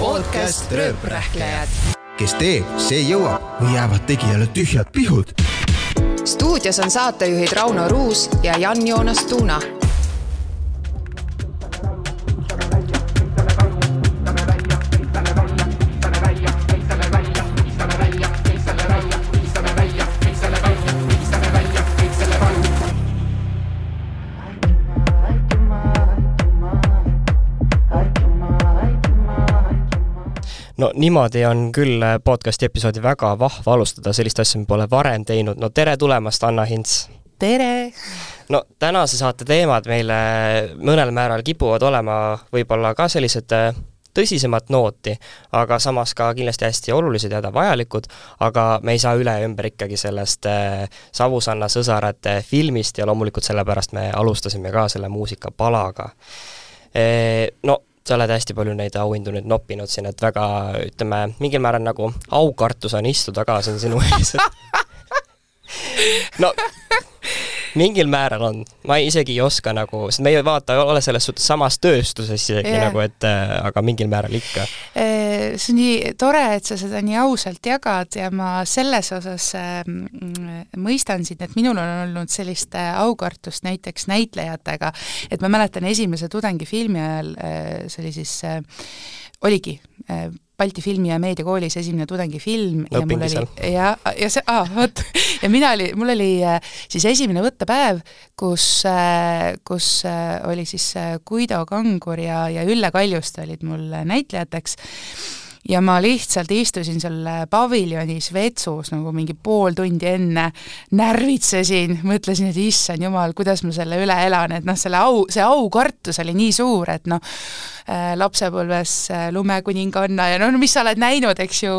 Podcast Rööprähklejad. Kes teeb, see jõuab või jäävad tegijale tühjad pihud. Stuudios on saatejuhid Rauno Ruus ja Jan-Joonas Tuuna. No niimoodi on küll podcasti episoodi väga vahva alustada, sellist asja me pole varem teinud. No tere tulemast, Anna Hints! Tere! No tänase saate teemad meile mõnel määral kipuvad olema võib-olla ka sellised tõsisemat nooti, aga samas ka kindlasti hästi olulised ja vajalikud, aga me ei saa üle ümber ikkagi sellest Savusanna sõsarate filmist ja loomulikult sellepärast me alustasime ka selle muusikapalaga. No sa oled hästi palju neid auhindu nüüd noppinud siin, et väga, ütleme, mingil määral nagu aukartus on istuda ka siin sinu ees. No, mingil määral on. Ma isegi ei oska nagu, sest me ei vaata, ole selles suhtes samas tööstuses isegi nagu, et aga mingil määral ikka. See on nii tore, et sa seda nii ausalt jagad ja ma selles osas mõistan sind, et minul on olnud sellist aukartust näiteks näitlejatega, et ma mäletan esimese tudengifilmi ajal, see oli siis, oligi Balti filmi- ja meediakoolis esimene tudengifilm ja mul oli ja mul oli siis esimene võttepäev, kus oli siis Guido Kangur ja Ülle Kaljuste olid mul näitlejateks ja ma lihtsalt istusin seal paviljonis vetsus nagu mingi pool tundi enne, närvitsesin, mõtlesin, et issand jumal, kuidas ma selle üle elan, et see aukartus oli nii suur, et lapsepõlves Lumekuninganna ja mis sa oled näinud, eks ju,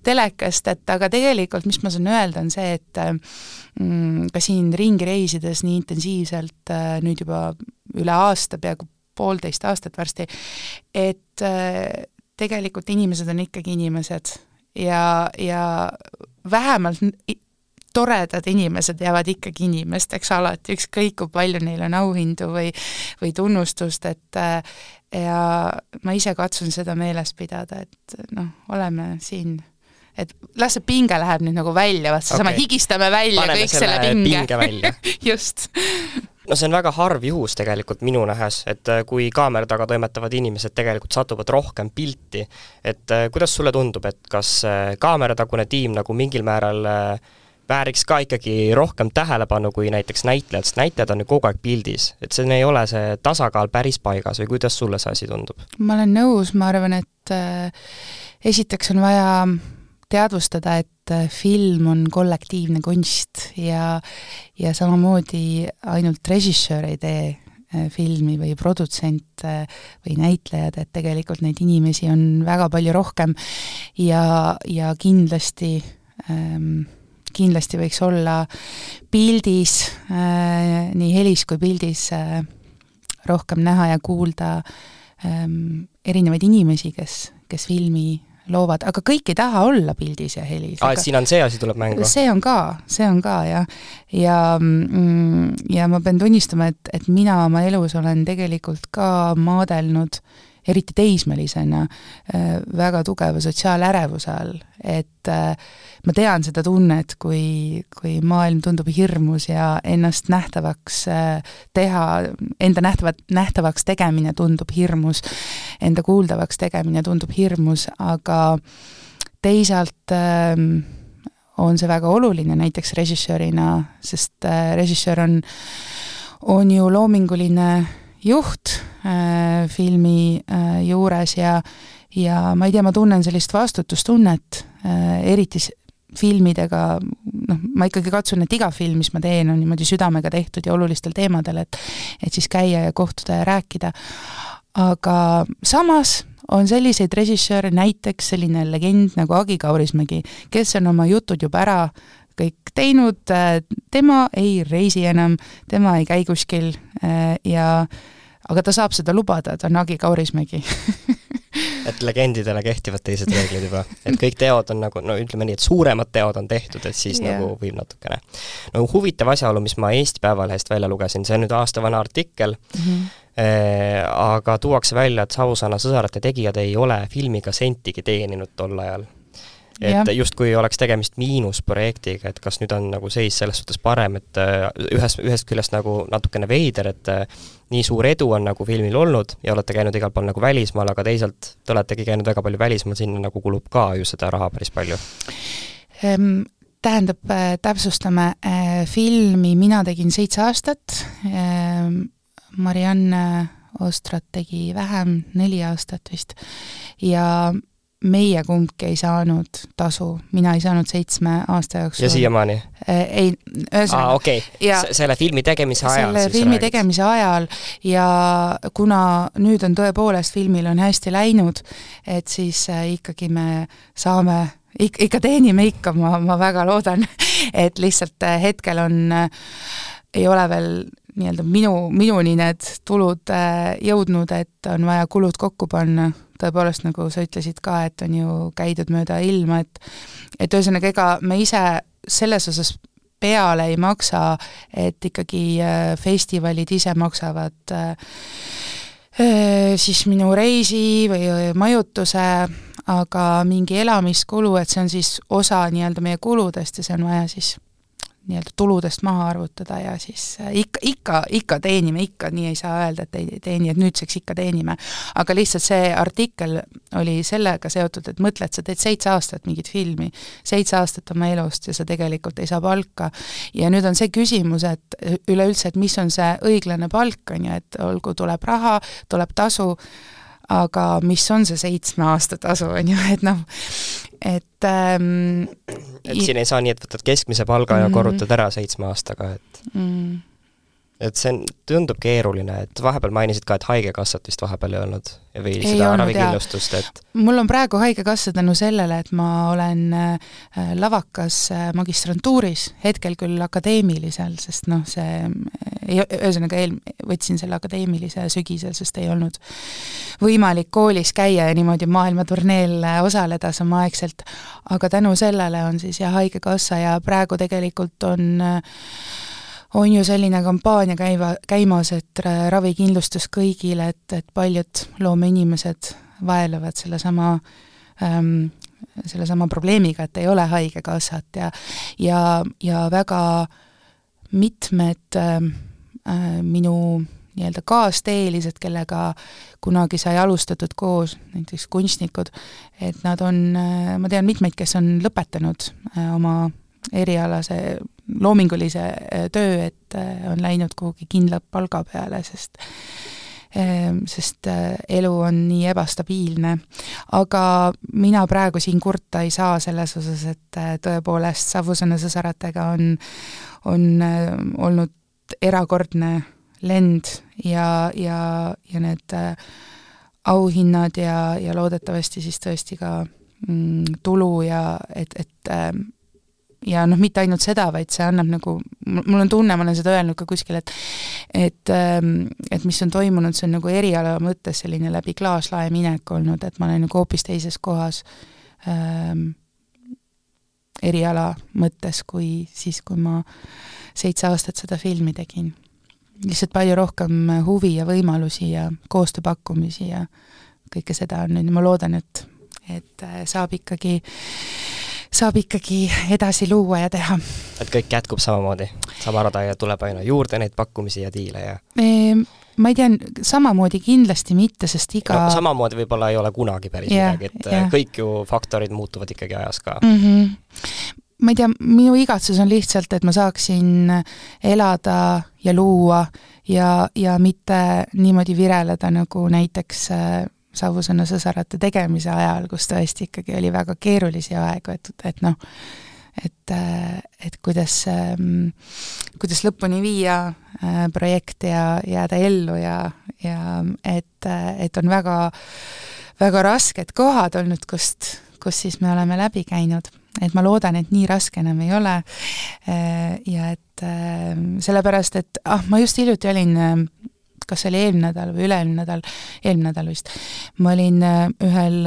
telekast, et aga tegelikult, mis ma saan öelda, on see, et ka siin ringi reisides nii intensiivselt nüüd juba üle aasta, peaaegu 1,5 aastat varsti, et tegelikult inimesed on ikkagi inimesed ja vähemalt toredad inimesed jäävad ikkagi inimesteks alati, ükskõik kui palju neil on auhindu või tunnustust, et ja ma ise katsun seda meeles pidada, et oleme siin, et las see pinge läheb nüüd nagu välja, sama higistame välja paneme kõik selle pinge välja. Just. No see on väga harv juhus tegelikult minu nähes, et kui kaamera taga toimetavad inimesed tegelikult satuvad rohkem pilti, et kuidas sulle tundub, et kas kaameratagune tiim nagu mingil määral vääriks ka ikkagi rohkem tähelepanu kui näiteks näitlejad, sest näitlejad on ju kogu aeg pildis, et see ei ole see tasakaal päris paigas või kuidas sulle see asi tundub? Ma olen nõus, ma arvan, et esiteks on vaja teadvustada, et film on kollektiivne kunst ja samamoodi ainult režissöör ei tee filmi või produtsent või näitlejad, et tegelikult neid inimesi on väga palju rohkem ja kindlasti võiks olla pildis, nii helis kui pildis rohkem näha ja kuulda erinevaid inimesi, kes filmi loovad, aga kõik ei taha olla pildis ja helis. Siin on see asi tuleb mängu? See on ka, ja ma pean tunnistama, et mina oma elus olen tegelikult ka maadelnud eriti teismelisena väga tugeva sotsiaalärevuse all, et ma tean seda tunnet, kui maailm tundub hirmus ja ennast nähtavaks teha, enda nähtavaks tegemine tundub hirmus, enda kuuldavaks tegemine tundub hirmus, aga teisalt on see väga oluline näiteks režissöörina, sest režissöör on ju loominguline juht filmi juures ja ma ei tea, ma tunnen sellist vastutustunnet, eriti filmidega, ma ikkagi katsun, et iga film, mis ma teen, on niimoodi südamega tehtud ja olulistel teemadel, et siis käia ja kohtuda ja rääkida. Aga samas on selliseid režissööre, näiteks selline legend nagu Agi Kaurismägi, kes on oma jutud juba ära kõik teinud, tema ei reisi enam, tema ei käi kuskil aga ta saab seda lubada, ta on Agi Kaurismägi. et legendidele kehtivad teised reeglid juba. Et kõik teod on nagu, no ütleme nii, et suuremad teod on tehtud, et siis nagu võib natukene. No huvitav asjaolu, mis ma Eesti Päevalehest välja lugesin, see on nüüd aastavana artikkel, aga tuuakse välja, et Savusaana sõsarate tegijad ei ole filmiga sentigi teeninud tol ajal. Et just kui oleks tegemist miinusprojektiga, et kas nüüd on nagu seis selles suhtes parem, et ühest küljest nagu natukene veider, et nii suur edu on nagu filmil olnud ja olete käinud igal pool nagu välismaal, aga teisalt te oletegi käinud väga palju välismaal, sinna nagu kulub ka ju seda raha päris palju. Tähendab, täpsustame, filmi mina tegin 7 aastat, Marianne Ostrat tegi vähem, 4 aastat vist, ja meie kumbki ei saanud tasu, mina ei saanud 7 aasta jooksul. Ja siiamaani? Ei, ühesõnaga. Okei. Selle filmi tegemise ajal selle siis filmi räägid. tegemise ajal ja kuna nüüd on tõepoolest filmil on hästi läinud, et siis ikkagi me saame, ikka teenime ikka, ma väga loodan, et lihtsalt hetkel on, ei ole veel nii-öelda minuni need tulud jõudnud, et on vaja kulud kokku panna. Tõepoolest, nagu sa ütlesid ka, et on ju käidud mööda ilma, et ühesõnaga ega me ise selles osas peale ei maksa, et ikkagi festivalid ise maksavad siis minu reisi või majutuse, aga mingi elamiskulu, et see on siis osa nii-öelda meie kuludest ja see on vaja siis nii-öelda tuludest maha arvutada ja siis ikka teenime, ikka nii ei saa öelda, et ei teeni, et nüüdseks ikka teenime. Aga lihtsalt see artikkel oli sellega seotud, et mõtle, et sa teed 7 aastat mingit filmi, 7 aastat oma elust ja sa tegelikult ei saa palka. Ja nüüd on see küsimus, et üleüldse, et mis on see õiglane palk, on ju, et olgu tuleb raha, tuleb tasu, aga mis on see 7 aasta tasu, on ju, et noh, et siin ei saa nii, et võtad keskmise palga ja korrutad ära 7 aastaga, et see tundub keeruline, et vahepeal mainisid ka, et haigekassat vist vahepeal ei olnud või ei seda olnud, ravikindlustust, et mul on praegu haigekassa tänu sellele, et ma olen lavakas magistrantuuris, hetkel küll akadeemilisel, sest noh, see ühesõnaga võtsin selle akadeemilise sügisel, sest ei olnud võimalik koolis käia ja niimoodi maailmaturneel osaleda samaaegselt, aga tänu sellele on siis ja haigekassa ja praegu tegelikult on ju selline kampaania käimas, et ravikindlustus kõigile, et paljud loomeinimesed vaelevad sellesama probleemiga, et ei ole haigekassat ja väga mitmed minu nii-öelda kaasteelised, kellega kunagi sai alustatud koos, näiteks kunstnikud, et nad on, ma tean mitmeid, kes on lõpetanud oma erialase loomingulise töö, et on läinud kuhugi kindla palga peale, sest elu on nii ebastabiilne. Aga mina praegu siin kurta ei saa selles osas, et tõepoolest Savusaana sõsaratega on olnud erakordne lend ja need auhinnad ja loodetavasti siis tõesti ka tulu ja ja noh, mitte ainult seda, vaid see annab nagu, mul on tunne, ma olen seda öelnud ka kuskil, et mis on toimunud, see on nagu eriala mõttes selline läbi klaaslae minek olnud, et ma olen nagu hoopis teises kohas eriala mõttes, kui siis, kui ma 7 aastat seda filmi tegin. Lihtsalt palju rohkem huvi ja võimalusi ja koostööpakkumisi ja kõike seda on nüüd, ma loodan, et saab ikkagi edasi luua ja teha. Et kõik jätkub samamoodi, sama rada ja tuleb aina juurde neid pakkumisi ja diile ja... Ma ei tea, samamoodi kindlasti mitte, sest iga... No, samamoodi võib-olla ei ole kunagi päris midagi, et kõik ju faktorid muutuvad ikkagi ajas ka. Ma ei tea, minu igatsus on lihtsalt, et ma saaksin elada ja luua ja mitte niimoodi vireleda nagu näiteks... Savusaana sõsarate tegemise ajal, kus tõesti ikkagi oli väga keerulisi aegu, et noh, et kuidas lõpuni viia projekt ja jääda ellu ja et on väga, väga rasked kohad olnud, kus siis me oleme läbi käinud. Et ma loodan, et nii raske enam ei ole ja et sellepärast, et ma just hiljuti olin kas see oli eelmine nädal vist, ma olin ühel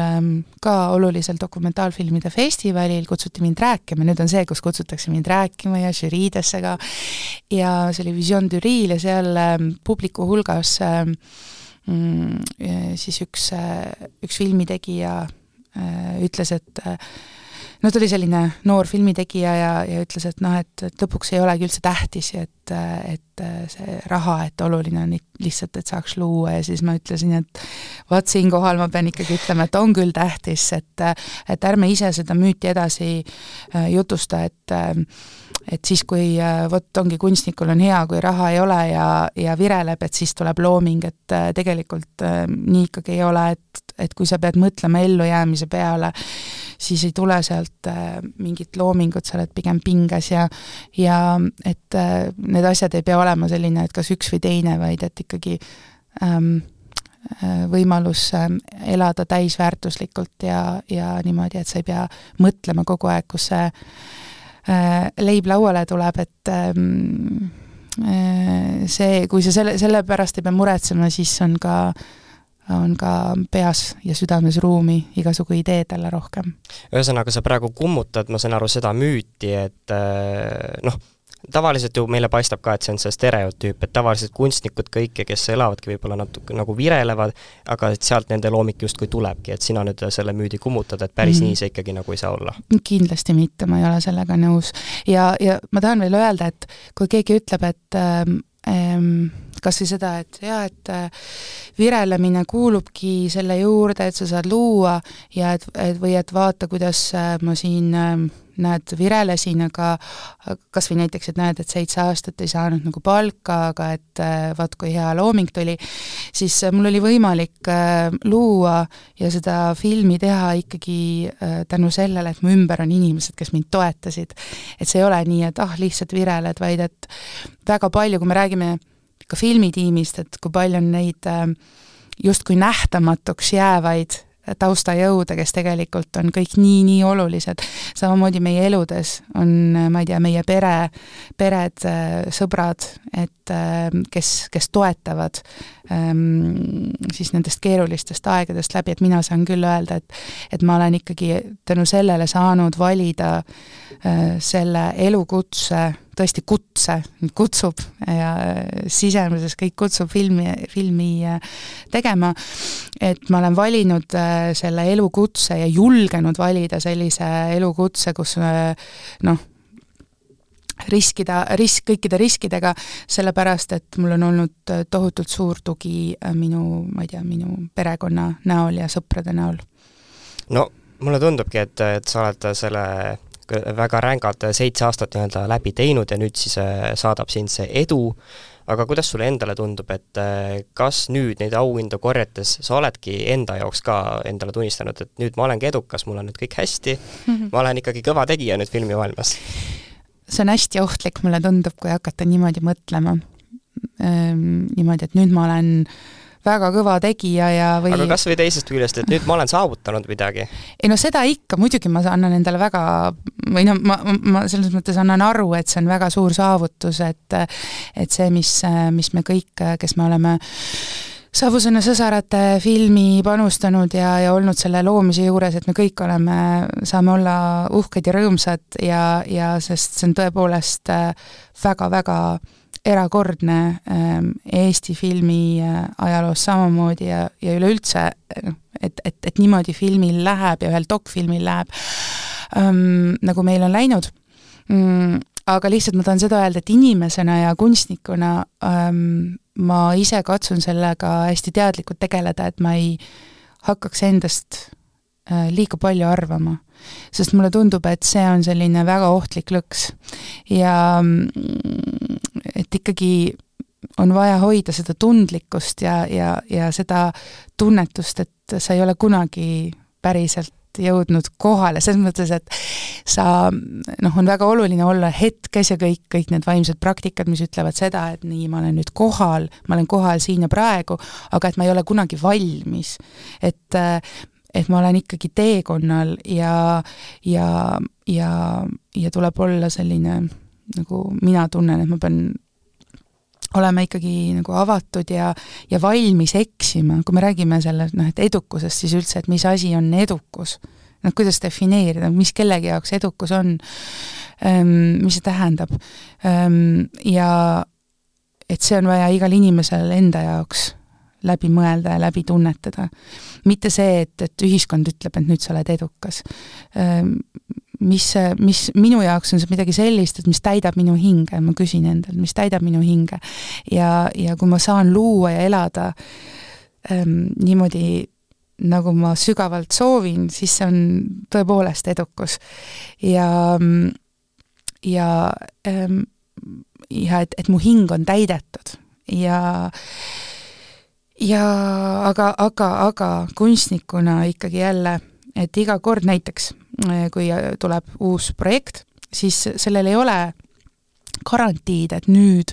ka olulisel dokumentaalfilmide festivalil, kutsuti mind rääkima, nüüd on see, kus kutsutakse mind rääkima ja žüriidesse ka, ja see oli Vision du Ril ja seal publiku hulgas siis üks filmitegija ütles, et no ta oli selline noor filmitegija ja ütles, et et lõpuks ei olegi üldse tähtis, et see raha, et oluline on lihtsalt, et saaks luua, ja siis ma ütlesin, et vaat siinkohal ma pean ikkagi ütlema, et on küll tähtis, et ärme ise seda müüti edasi jutusta, et siis, kui vot ongi kunstnikul on hea, kui raha ei ole ja vireleb, et siis tuleb looming, et tegelikult nii ikkagi ei ole, et kui sa pead mõtlema ellujäämise peale, siis ei tule sealt mingit loomingut, sa oled pigem pinges ja et need asjad ei pea olema selline, et kas üks või teine, vaid et ikkagi võimalus elada täisväärtuslikult ja niimoodi, et sa ei pea mõtlema kogu aeg, kus see leib lauale tuleb, et see, kui sa selle pärast ei pea muretsema, siis on ka peas ja südames ruumi igasugu ideedele rohkem. Ühesõnaga, sa praegu kummutad, ma saan aru, seda müüti, et tavaliselt ju meile paistab ka, et see on see stereotüüp, et tavaliselt kunstnikud kõike, kes elavadki võib-olla natuke nagu virelevad, aga et sealt nende loomik justkui tulebki, et sina nüüd selle müüdi kummutad, et päris nii see ikkagi nagu ei saa olla. Kindlasti mitte, ma ei ole sellega nõus. Ja ma tahan veel öelda, et kui keegi ütleb, et kas või seda, et virelemine kuulubki selle juurde, et sa saad luua ja või et vaata, kuidas ma siin virelesin, aga kas või näiteks, et näed, et 7 aastat ei saanud nagu palka, aga et vaat kui hea looming tuli, siis mul oli võimalik luua ja seda filmi teha ikkagi tänu sellele, et mu ümber on inimesed, kes mind toetasid. Et see ei ole nii, et lihtsalt vireled, vaid et väga palju, kui me räägime ka filmitiimist, et kui palju on neid justkui nähtamatuks jäävaid taustajõude, kes tegelikult on kõik nii olulised. Samamoodi meie eludes on, ma ei tea, meie pered, sõbrad, et kes toetavad siis nendest keerulistest aegadest läbi, et mina saan küll öelda, et ma olen ikkagi tänu sellele saanud valida selle elukutse, tõesti kutsub ja sisemises kõik kutsub filmi tegema, et ma olen valinud selle elukutse ja julgenud valida sellise elukutse, kus kõikide riskidega, sellepärast, et mul on olnud tohutult suur tugi minu perekonna näol ja sõprade näol. No, mulle tundubki, et sa oled selle väga rängad 7 aastat läbi teinud ja nüüd siis saadab sind see edu, aga kuidas sulle endale tundub, et kas nüüd neid auhindu korjates sa oledki enda jaoks ka endale tunnistanud, et nüüd ma olengi edukas, mul on nüüd kõik hästi, ma olen ikkagi kõva tegija nüüd filmimaailmas? See on hästi ohtlik, mulle tundub, kui hakata niimoodi mõtlema. Niimoodi, et nüüd ma olen väga kõva tegija Aga kas või teisest küljest, et nüüd ma olen saavutanud midagi? Ei seda ikka, muidugi ma annan endale väga, või ma selles mõttes annan aru, et see on väga suur saavutus, et see, mis me kõik, kes me oleme Savusõna sõsarate filmi panustanud ja olnud selle loomise juures, et me kõik saame olla uhked ja rõõmsad ja sest see on tõepoolest väga-väga erakordne Eesti filmi ajaloos samamoodi ja üleüldse, et niimoodi filmil läheb ja ühel dokfilmil läheb, nagu meil on läinud. Aga lihtsalt ma tahan seda öelda, et inimesena ja kunstnikuna ma ise katsun sellega hästi teadlikult tegeleda, et ma ei hakkaks endast liiga palju arvama, sest mulle tundub, et see on selline väga ohtlik lõks ja et ikkagi on vaja hoida seda tundlikkust ja seda tunnetust, et sa ei ole kunagi päriselt jõudnud kohale, selles mõttes, et on väga oluline olla hetkes ja kõik need vaimsed praktikad, mis ütlevad seda, et nii, ma olen nüüd kohal, ma olen kohal siin ja praegu, aga et ma ei ole kunagi valmis. Et ma olen ikkagi teekonnal ja tuleb olla selline, nagu mina tunnen, et ma pean olema ikkagi nagu avatud ja valmis eksima, kui me räägime sellest, et edukusest, siis üldse, et mis asi on edukus, kuidas defineerida, mis kellegi jaoks edukus on, mis see tähendab, ja et see on vaja igal inimesel enda jaoks läbi mõelda ja läbi tunnetada. Mitte see, et ühiskond ütleb, et nüüd sa oled edukas. Mis minu jaoks on see midagi sellist, et mis täidab minu hinge, ma küsin endalt, mis täidab minu hinge. Ja kui ma saan luua ja elada niimoodi, nagu ma sügavalt soovin, siis see on tõepoolest edukus. Ja et mu hing on täidetud. Aga kunstnikuna ikkagi jälle, et iga kord näiteks, kui tuleb uus projekt, siis sellel ei ole garantiid, et nüüd,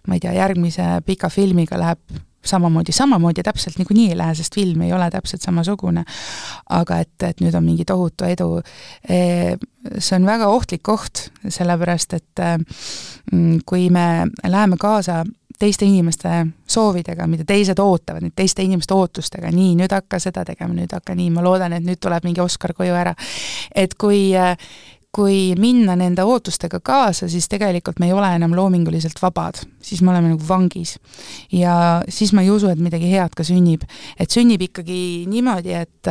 ma ei tea, järgmise pika filmiga läheb samamoodi täpselt niikuinii ei lähe, sest film ei ole täpselt samasugune, aga et nüüd on mingi tohutu edu. See on väga ohtlik koht, sellepärast, et kui me läheme kaasa teiste inimeste soovidega, mida teised ootavad, nüüd teiste inimeste ootustega, nii, nüüd hakka seda tegema, nüüd hakka nii, ma loodan, et nüüd tuleb mingi Oscar koju ära. Et kui minna nende ootustega kaasa, siis tegelikult me ei ole enam loominguliselt vabad, siis me oleme nagu vangis. Ja siis ma ei usu, et midagi head ka sünnib. Et sünnib ikkagi niimoodi, et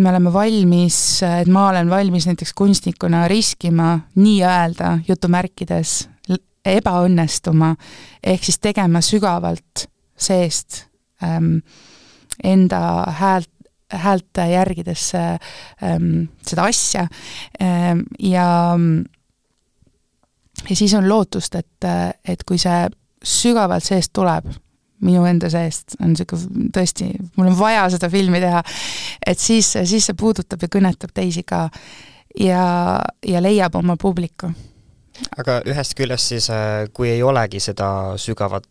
me oleme valmis, et ma olen valmis näiteks kunstnikuna riskima nii öelda jutumärkides ebaõnnestuma, ehk siis tegema sügavalt seest enda häält järgides seda asja ja siis on lootust, et kui see sügavalt seest tuleb, minu enda seest on tõesti, mul on vaja seda filmi teha, et siis see puudutab ja kõnetab teisi ka ja leiab oma publiku. Aga ühest küljest siis, kui ei olegi seda sügavat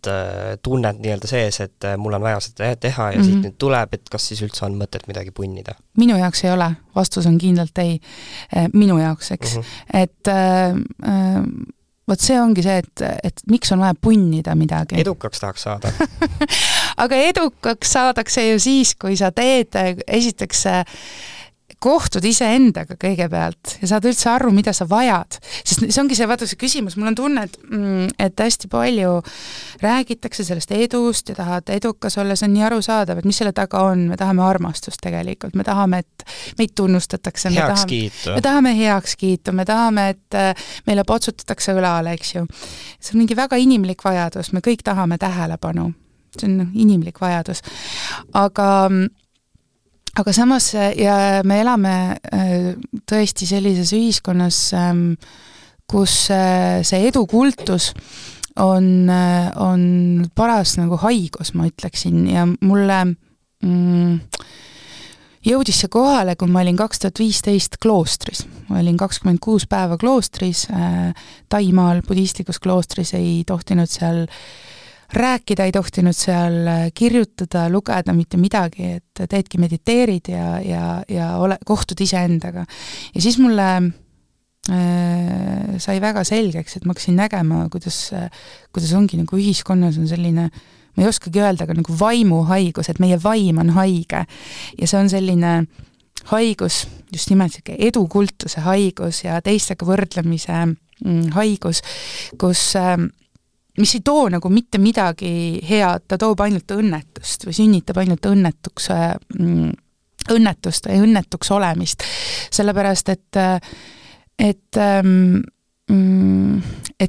tunnet nii-öelda sees, et mul on vaja seda teha ja siit nüüd tuleb, et kas siis üldse on mõtet midagi punnida? Minu jaoks ei ole. Vastus on kindlalt ei. Minu jaoks, eks. Et võt see ongi see, et miks on vaja punnida midagi. Edukaks tahaks saada. Aga edukaks saadakse ju siis, kui sa teed esiteks kohtud iseendaga kõigepealt ja saad üldse aru, mida sa vajad. Sest see ongi see, vaata see küsimus, mul on tunne, et hästi palju räägitakse sellest edust ja tahad edukas olla, see on nii arusaadav, et mis selle taga on, me tahame armastust tegelikult, me tahame, et meid tunnustatakse, me tahame heakskiitu, me tahame, et meile potsutatakse õlale, eks ju. See on mingi väga inimlik vajadus, me kõik tahame tähelepanu, see on inimlik vajadus, aga samas ja me elame tõesti sellises ühiskonnas, kus see edukultus on paras nagu haigus, ma ütleksin, ja mulle jõudis see kohale, kui ma olin 2015 kloostris. Ma olin 26 päeva kloostris, Taimaal, budistlikus kloostris, ei tohtinud seal rääkida, ei tohtinud seal kirjutada, lugeda mitte midagi, et teedki mediteerid ja kohtud iseendaga. Ja siis mulle sai väga selgeks, et ma hakkasin nägema, kuidas ongi nagu ühiskonnas on selline, ma ei oskagi öelda, aga nagu vaimuhaigus, et meie vaim on haige. Ja see on selline haigus, just nimelt edukultuse haigus ja teistega võrdlemise haigus, kus mis ei too nagu mitte midagi head, ta toob ainult õnnetust või sünnitab ainult õnnetust või õnnetuks olemist. Sellepärast, et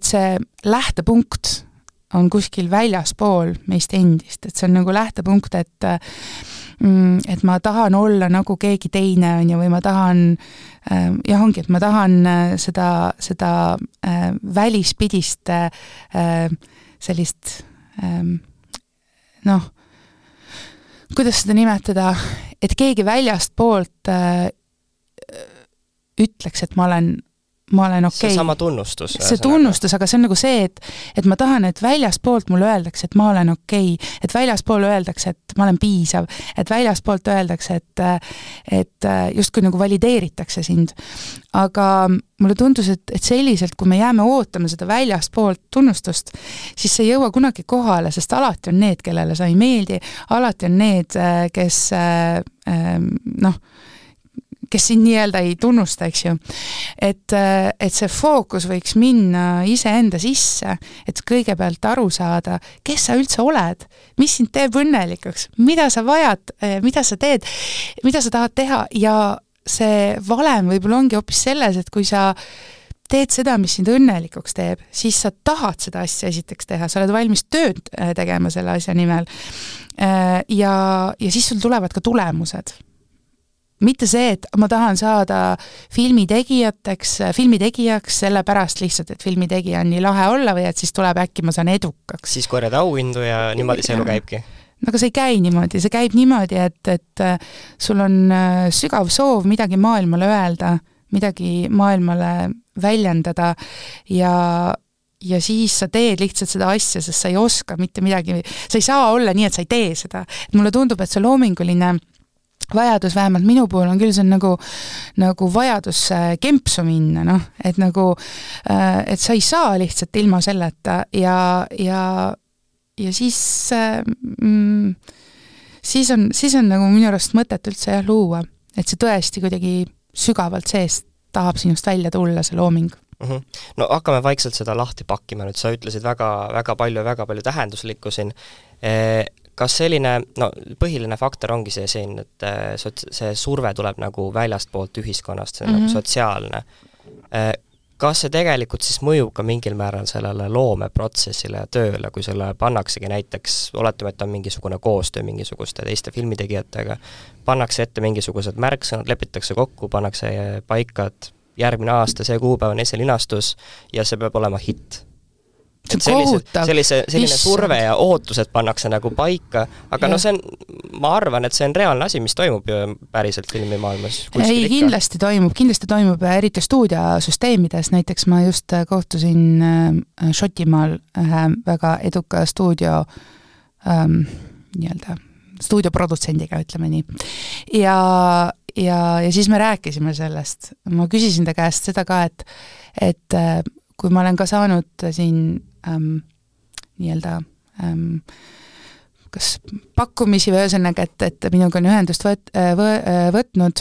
see lähtepunkt on kuskil väljaspool meist endist, et see on nagu lähtepunkt, et ma tahan olla nagu keegi teine on ja või ma tahan et ma tahan seda välispidist sellist kuidas seda nimetada, et keegi väljast poolt ütleks, et ma olen ma olen okei. See sama tunnustus. See tunnustus, aga see on nagu see, et ma tahan, et väljaspoolt mulle öeldakse, et ma olen okei, et väljaspool öeldakse, et ma olen piisav, et väljaspoolt öeldakse, et justkui nagu valideeritakse sind. Aga mulle tundus, et selliselt, kui me jääme ootama seda väljaspoolt tunnustust, siis see ei jõua kunagi kohale, sest alati on need, kellele sa ei meeldi, alati on need, kes kes siin nii-öelda ei tunnusta, eks ju. Et see fookus võiks minna iseenda sisse, et kõigepealt aru saada, kes sa üldse oled, mis sind teeb õnnelikuks, mida sa vajad, mida sa teed, mida sa tahad teha ja see valem võib-olla ongi hoopis selles, et kui sa teed seda, mis sind õnnelikuks teeb, siis sa tahad seda asja esiteks teha, sa oled valmis tööd tegema selle asja nimel ja siis sul tulevad ka tulemused. Mitte see, et ma tahan saada filmitegijaks sellepärast lihtsalt, et filmitegija on nii lahe olla või et siis tuleb äkki ma saan edukaks. Siis korjad auhindu ja niimoodi see elu käibki. Aga see ei käi niimoodi, see käib niimoodi, et sul on sügav soov midagi maailmale öelda, midagi maailmale väljendada ja siis sa teed lihtsalt seda asja, sest sa ei oska mitte midagi, sa ei saa olla nii, et sa ei tee seda. Et mulle tundub, et see loominguline vajadus, vähemalt minu puhul on küll see nagu vajadus kempsu minna, et et sa ei saa lihtsalt ilma selleta ja siis on nagu minu arust mõtet üldse luua, et see tõesti kuidagi sügavalt seest tahab sinust välja tulla, see looming. No hakkame vaikselt seda lahti pakkima nüüd, sa ütlesid väga palju tähenduslikku siin. Kas selline, põhiline faktor ongi see siin, et see surve tuleb nagu väljast poolt ühiskonnast, see nagu sotsiaalne. Kas see tegelikult siis mõjub ka mingil määral sellele loomeprotsessile ja tööle, kui selle pannaksegi näiteks, oletame, et on mingisugune koostöö mingisuguste teiste filmitegijatega, pannakse ette mingisugused märksõnad, lepitakse kokku, pannakse paika, et järgmine aasta, see kuupäev on esilinastus ja see peab olema hitt. Selline surve ja ootused pannakse nagu paika, aga see on, ma arvan, et see on reaalne asi, mis toimub ju päriselt filmimaailmas. Ei, kindlasti toimub, eriti stuudiosüsteemides, näiteks ma just kohtusin Šotimaal ühe väga eduka stuudioprodutsendiga, ütleme nii. Ja siis me rääkisime sellest. Ma küsisin ta käest seda ka, et kui ma olen ka saanud siin kas pakkumisi või ühesõnaga, et minuga on ühendust võtnud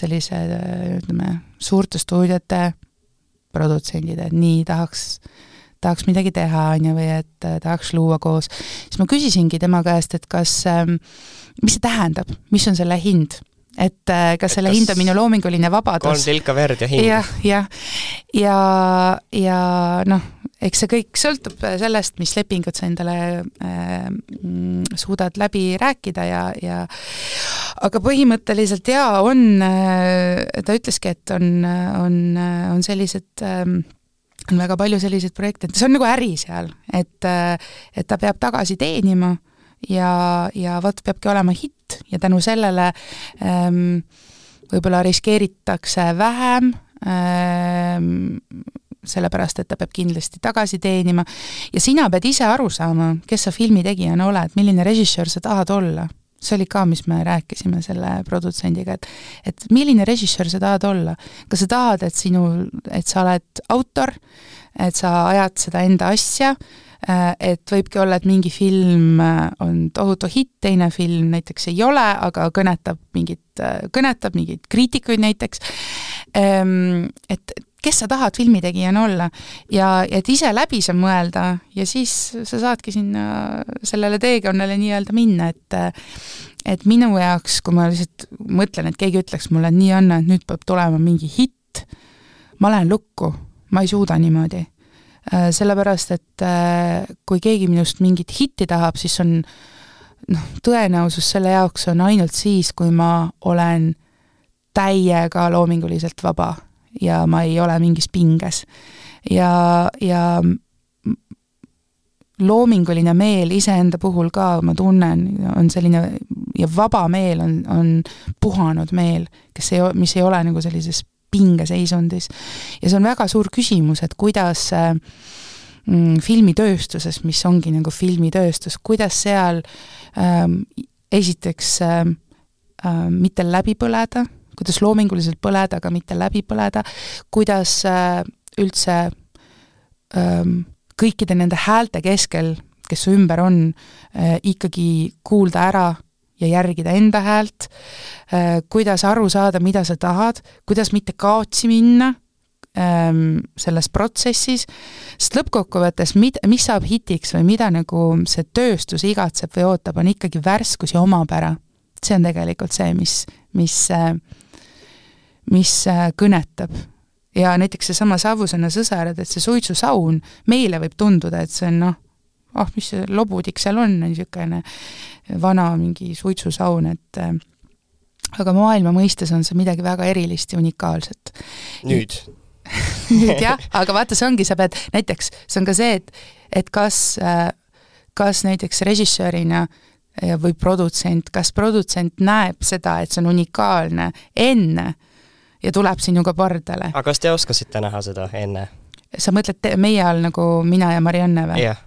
sellise, ütleme, suurte stuudiote produtsendid, et nii tahaks midagi teha, või et tahaks luua koos. Siis ma küsisingi tema käest, et mis see tähendab, mis on selle hind? Et kas selle hind on minu loominguline vabadus. 3 tilka verd ja hind. Ja eks see kõik sõltub sellest, mis lepingut sa endale suudad läbi rääkida aga põhimõtteliselt ta ütleski, et on sellised on väga palju selliseid projekte, et see on nagu äri seal, et ta peab tagasi teenima ja peabki olema hitt ja tänu sellele võib-olla riskeeritakse vähem, sellepärast, et ta peab kindlasti tagasi teenima ja sina pead ise aru saama, kes sa filmitegijana oled, milline režissöör sa tahad olla. See oli ka, mis me rääkisime selle produtsendiga, et milline režissöör sa tahad olla. Kas sa tahad, et sa oled autor, et sa ajad seda enda asja, et võibki olla, et mingi film on tohutu hitt, teine film näiteks ei ole, aga kõnetab mingid kriitikuid näiteks, et kes sa tahad filmitegijana olla ja et ise läbi sa mõelda ja siis sa saadki sinna sellele teekonnale nii-öelda minna, et minu jaoks, kui ma lihtsalt mõtlen, et keegi ütleks mulle, et nii on, et nüüd peab tulema mingi hitt, ma lähen lukku, ma ei suuda niimoodi. Sellepärast, et kui keegi minust mingit hitti tahab, siis on tõenäosus selle jaoks on ainult siis, kui ma olen täiega loominguliselt vaba ja ma ei ole mingis pinges. Ja loominguline meel iseenda puhul ka, ma tunnen, on selline, ja vaba meel on puhanud meel, mis ei ole nagu sellises pingeseisundis. Ja see on väga suur küsimus, et kuidas filmitööstuses, mis ongi nagu filmitööstus, kuidas seal esiteks mitte läbi põleda, kuidas loominguliselt põleda, aga mitte läbi põleda, kuidas üldse kõikide nende häälte keskel, kes su ümber on, ikkagi kuulda ära ja järgida enda häält, kuidas aru saada, mida sa tahad, kuidas mitte kaotsi minna selles protsessis, sest lõppkokkuvõttes, mis saab hitiks või mida nagu see tööstus igatseb või ootab, on ikkagi värskus ja omapära. See on tegelikult see, mis kõnetab. Ja näiteks see sama Savusõna sõsarad, et see suitsusaun meile võib tunduda, et see on mis see lobudik seal on niisugune vana mingi suitsusaun, et aga maailma mõistes on see midagi väga erilist ja unikaalset. Nüüd jah, aga vaata, see ongi, sa pead näiteks, see on ka see, et kas näiteks režissöörina või produtsent, kas produtsent näeb seda, et see on unikaalne enne ja tuleb sinuga pardale. Aga kas te oskasite näha seda enne? Sa mõtled meie all nagu mina ja Marianne või? Jah.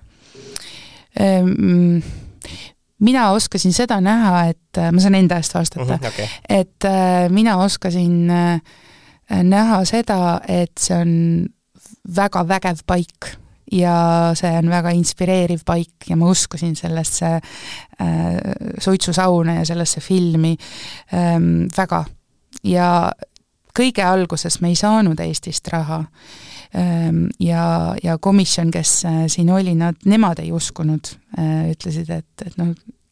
Mina oskasin seda näha, et ma saan enda eest vastata, okay. Et mina oskasin näha seda, et see on väga vägev paik ja see on väga inspireeriv paik ja ma uskusin sellesse suitsusauna ja sellesse filmi väga. Ja kõige alguses me ei saanud Eestist raha ja komisjon, kes siin oli, nemad ei uskunud, ütlesid, et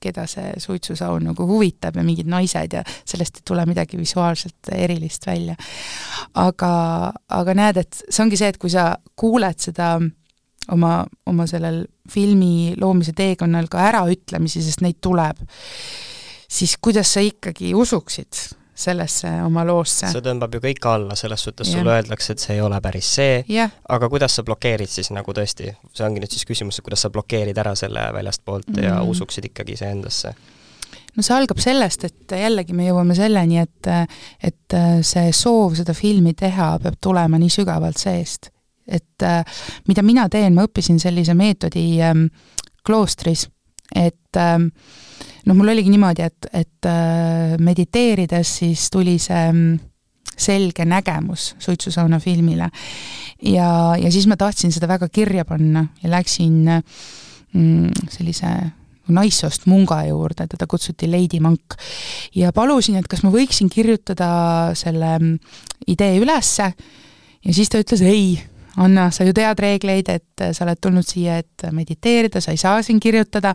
keda see suitsusaun nagu huvitab ja mingid naised ja sellest ei tule midagi visuaalselt erilist välja. Aga näed, et see ongi see, et kui sa kuuled seda oma sellel filmi loomise teekonnal ka äraütlemisi, sest neid tuleb, siis kuidas sa ikkagi usuksid sellesse oma loosse. See tõmbab ju kõik alla, selles suhtes sulle öeldakse, et see ei ole päris see, aga kuidas sa blokeerid siis nagu tõesti, see ongi nüüd siis küsimus, kuidas sa blokeerid ära selle väljast poolt ja usuksid ikkagi see endasse? No see algab sellest, et jällegi me jõuame selleni, et see soov seda filmi teha peab tulema nii sügavalt seest. Et mida mina teen, ma õppisin sellise meetodi kloostris, et mul oligi niimoodi, et mediteerides siis tuli see selge nägemus suitsusauna filmile ja siis ma tahtsin seda väga kirja panna ja läksin sellise naissoost munga juurde, teda kutsuti Lady Monk ja palusin, et kas ma võiksin kirjutada selle idee ülesse ja siis ta ütles ei, Anna, sa ju tead reegleid, et sa oled tulnud siia, et mediteerida, sa ei saa siin kirjutada,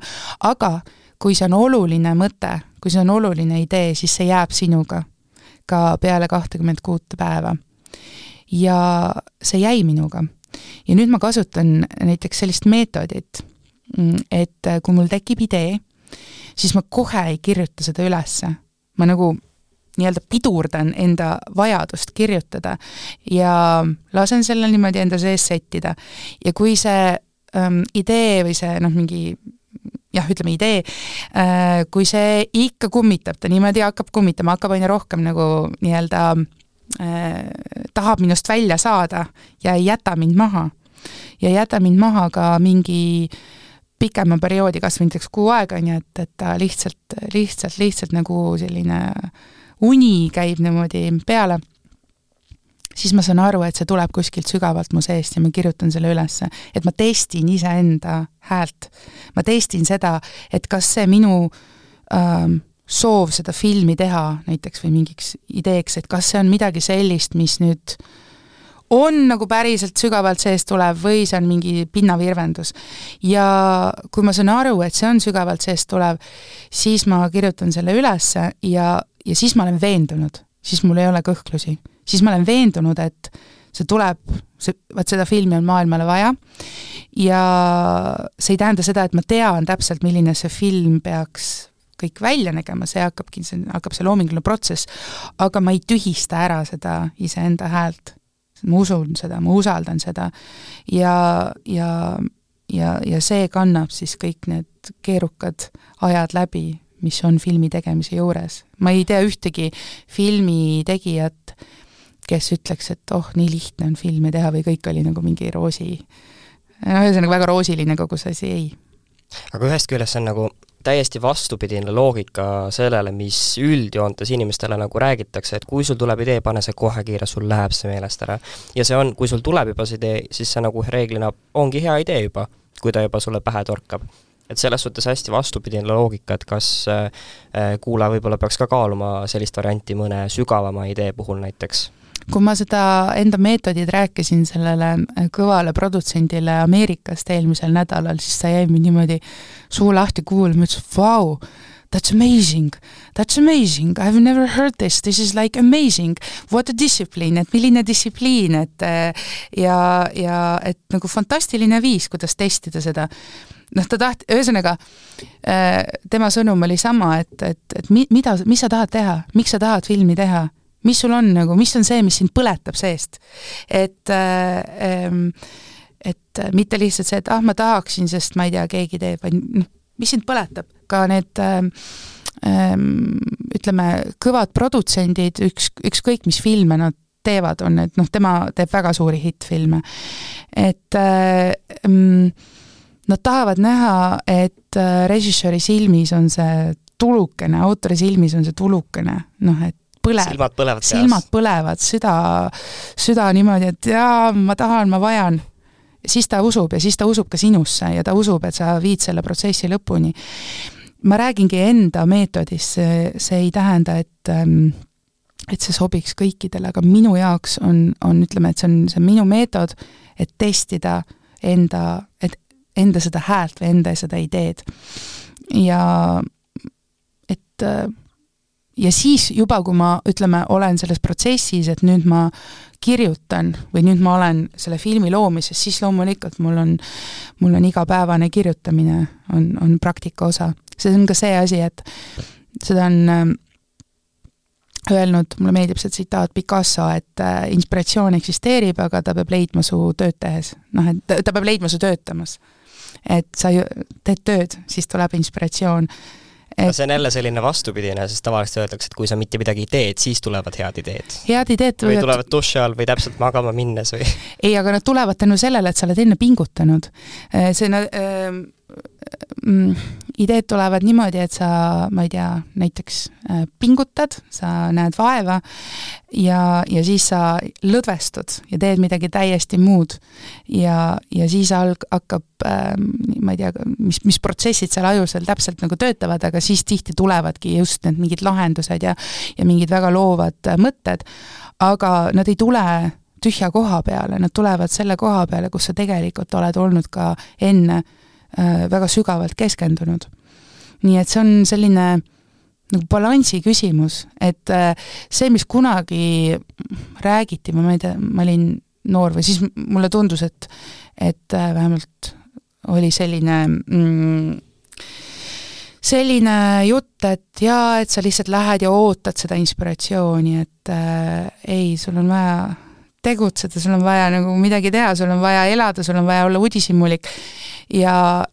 aga kui see on oluline mõte, kui see on oluline idee, siis see jääb sinuga ka peale 26 päeva. Ja see jäi minuga. Ja nüüd ma kasutan näiteks sellist meetodit, et kui mul tekib idee, siis ma kohe ei kirjuta seda ülesse. Ma nagu nii-öelda pidurdan enda vajadust kirjutada ja lasen selle niimoodi enda sees settida. Ja kui see idee või see mingi ütleme idee, kui see ikka kummitab, ta niimoodi hakkab kummitama, hakkab aina rohkem nagu nii-öelda tahab minust välja saada ja ei jäta mind maha. Ja jäta mind maha ka mingi pikema perioodi, kas või näiteks 6 aega, et ta lihtsalt nagu selline uni käib niimoodi peale, siis ma saan aru, et see tuleb kuskilt sügavalt mu seest ja ma kirjutan selle ülesse, et ma testin iseenda häält. Ma testin seda, et kas see minu soov seda filmi teha näiteks või mingiks ideeks, et kas see on midagi sellist, mis nüüd on nagu päriselt sügavalt seest tulev või see on mingi pinnavirvendus. Ja kui ma saan aru, et see on sügavalt seest tulev, siis ma kirjutan selle ülesse ja siis ma olen veendunud, siis mul ei ole kõhklusi. Siis ma olen veendunud, et see tuleb, seda filmi on maailmale vaja ja see ei tähenda seda, et ma tean täpselt, milline see film peaks kõik välja nägema, see hakkab see loominguline protsess, aga ma ei tühista ära seda iseenda häält. Ma usun seda, ma usaldan seda ja see kannab siis kõik need keerukad ajad läbi, mis on filmi tegemise juures. Ma ei tea ühtegi filmi tegijat, kes ütleks, et nii lihtne on filmi teha või kõik oli nagu mingi roosi, ühesõnaga väga roosiline kogu see asi, ei. Aga ühest küljest see on nagu täiesti vastupidine loogika sellele, mis üldjoontes inimestele nagu räägitakse, et kui sul tuleb idee, pane see kohe kiire, sul läheb see meelest ära. Ja see on, kui sul tuleb juba see idee, siis see nagu reeglina ongi hea idee juba, kui ta juba sulle pähe torkab. Et selles suhtes hästi vastupidine loogika, et kas kuulaja võib-olla peaks ka kaaluma sellist varianti mõne sügavama idee puhul näiteks. Kui ma seda enda meetodid rääkisin sellele kõvale produtsendile Ameerikast eelmisel nädalal, siis ta jäi mind niimoodi suu lahti kuulma, ütles, wow, that's amazing, I've never heard this is like amazing, what a discipline, et milline distsipliin, et et nagu fantastiline viis, kuidas testida seda. Ta ühesõnaga, tema sõnum oli sama, et mis sa tahad teha, miks sa tahad filmi teha, mis sul on nagu, mis on see, mis sind põletab seest. Et mitte lihtsalt see, et ma tahaksin, sest ma ei tea, keegi teeb, vaid mis sind põletab. Ka need ütleme, kõvad produtsendid, ükskõik mis filme nad teevad, on, et tema teeb väga suuri hittfilme. Et nad tahavad näha, et režissööri silmis on see tulukene, autori silmis on see tulukene, et silmad põlevad, süda niimoodi, et ma tahan, ma vajan. Siis ta usub ja siis ta usub ka sinusse ja ta usub, et sa viid selle protsessi lõpuni. Ma räägingi enda meetodist, see ei tähenda, et see sobiks kõikidele, aga minu jaoks on ütleme, et see on minu meetod, et testida enda seda häält või enda seda ideed. Ja siis juba, kui ma, ütleme, olen selles protsessis, et nüüd ma kirjutan või nüüd ma olen selle filmi loomises, siis loomulikult mul on igapäevane kirjutamine on praktika osa. See on ka see asi, et seda on öelnud, mulle meeldib see tsitaat Picasso, et inspiratsioon eksisteerib, aga ta peab leidma su tööd tehes. Et ta peab leidma su töötamas. Et sa teed tööd, siis tuleb inspiratsioon. See on jälle selline vastupidine, sest tavaliselt öeldakse, et kui sa mitte midagi teed, siis tulevad head ideed. Head ideed või tulevad duši all või täpselt magama minnes või? Ei, aga nad tulevad tänu sellele, et sa oled enne pingutanud. Ideed tulevad niimoodi, et sa, ma ei tea, näiteks pingutad, sa näed vaeva ja siis sa lõdvestud ja teed midagi täiesti muud ja siis hakkab, ma ei tea, mis protsessid seal ajus veel täpselt nagu töötavad, aga siis tihti tulevadki just need mingid lahendused ja mingid väga loovad mõtted, aga nad ei tule tühja koha peale, nad tulevad selle koha peale, kus sa tegelikult oled olnud ka enne väga sügavalt keskendunud. Nii et see on selline nagu balansi küsimus, et see, mis kunagi räägiti, ma ei tea, ma olin noor või siis mulle tundus, et vähemalt oli selline jutt, et et sa lihtsalt lähed ja ootad seda inspiratsiooni, et ei, sul on vaja tegutseda, sul on vaja nagu midagi teha, sul on vaja elada, sul on vaja olla uudishimulik ja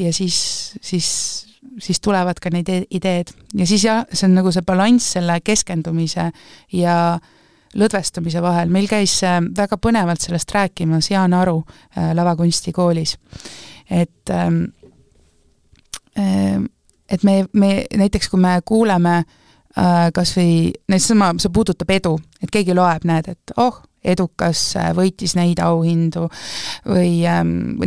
siis tulevad ka neid ideed. Ja siis see on nagu see balanss selle keskendumise ja lõdvestumise vahel. Meil käis väga põnevalt sellest rääkimas Jaan Aru lavakunstikoolis. Et me näiteks, kui me kuuleme kas või, see puudutab edu, et keegi loeb, näed, et edukas võitis neid auhindu või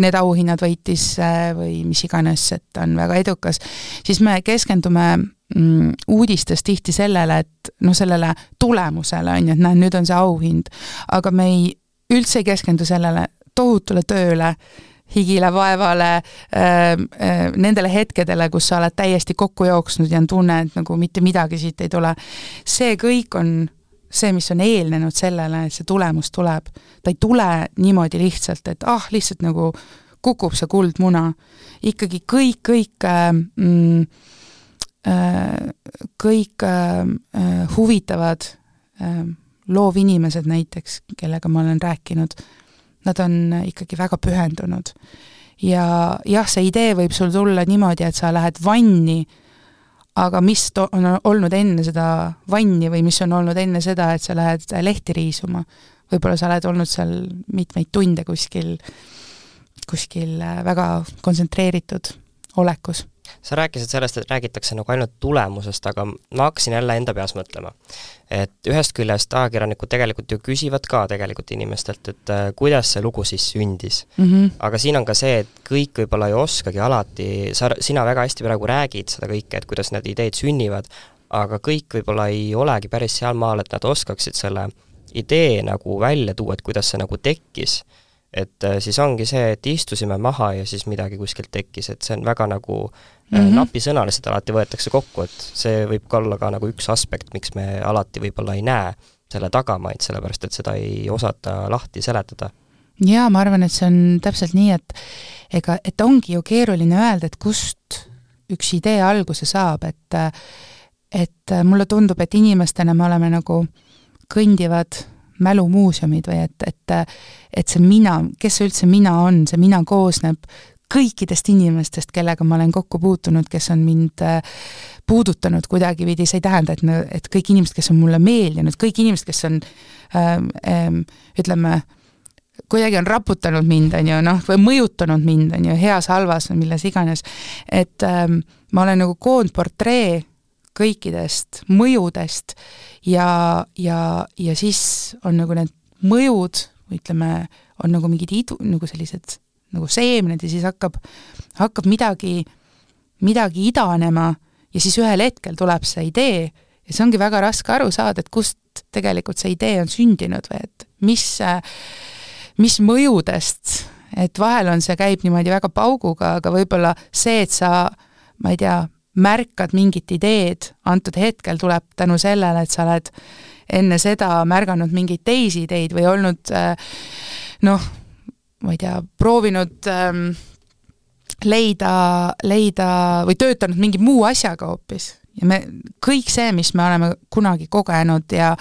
need auhinnad võitis või mis iganes, et on väga edukas, siis me keskendume uudistes tihti sellele, et sellele tulemusele on ju, et nüüd on see auhind, aga me üldse ei keskendu sellele tohutule tööle, higile vaevale, nendele hetkedele, kus sa oled täiesti kokku jooksnud ja on tunne, et nagu mitte midagi siit ei tule. See kõik on see, mis on eelnenud sellele, et see tulemus tuleb. Ta ei tule niimoodi lihtsalt, et lihtsalt nagu kukub see kuldmuna. Ikkagi kõik huvitavad loovinimesed näiteks, kellega ma olen rääkinud, nad on ikkagi väga pühendunud. Ja jah, see idee võib sul tulla niimoodi, et sa lähed vanni, aga mis on olnud enne seda vanni või mis on olnud enne seda, et sa lähed lehti riisuma. Võib-olla sa oled olnud seal mitmeid tunde kuskil väga kontsentreeritud olekus. Sa rääkisid sellest, et räägitakse nagu ainult tulemusest, aga ma hakkasin jälle enda peas mõtlema. Et ühest küljest ajakirjanikud tegelikult ju küsivad ka tegelikult inimestelt, et kuidas see lugu siis sündis. Aga siin on ka see, et kõik võib-olla ei oskagi alati, sina väga hästi praegu räägid seda kõike, et kuidas need ideed sünnivad, aga kõik võib-olla ei olegi päris seal maal, et nad oskaksid selle idee nagu välja tuua, et kuidas see nagu tekkis. Et siis ongi see, et istusime maha ja siis midagi kuskilt tekkis, et see on väga nagu napisõnaliselt alati võetakse kokku, et see võib ka olla ka nagu üks aspekt, miks me alati võib-olla ei näe selle tagamaid, sellepärast et seda ei osata lahti seletada. Jaa, ma arvan, et see on täpselt nii, et ongi ju keeruline öelda, et kust üks idee alguse saab, et mulle tundub, et inimestena me oleme nagu kõndivad mälumuuseumid või et see mina, kes see üldse mina on, see mina koosneb kõikidest inimestest, kellega ma olen kokku puutunud, kes on mind puudutanud kuidagividi, see ei tähenda, et kõik inimesed, kes on mulle meeldinud, kõik inimesed, kes on ütleme, kuidagi on raputanud mind, või mõjutanud mind, heas, halvas või milles iganes, et ma olen nagu koondportree kõikidest mõjudest ja siis on nagu need mõjud, ütleme, on nagu mingid nagu sellised nagu seemned ja siis hakkab midagi idanema ja siis ühel hetkel tuleb see idee ja see ongi väga raske aru saada, et kust tegelikult see idee on sündinud või et mis mõjudest, et vahel on see käib niimoodi väga pauguga, aga võib-olla see, et sa, ma ei tea, märkad mingit ideed, antud hetkel tuleb tänu sellele, et sa oled enne seda märganud mingeid teisi ideid või olnud ma ei tea, proovinud leida või töötanud mingi muu asjaga hoopis. Ja kõik see, mis me oleme kunagi kogenud ja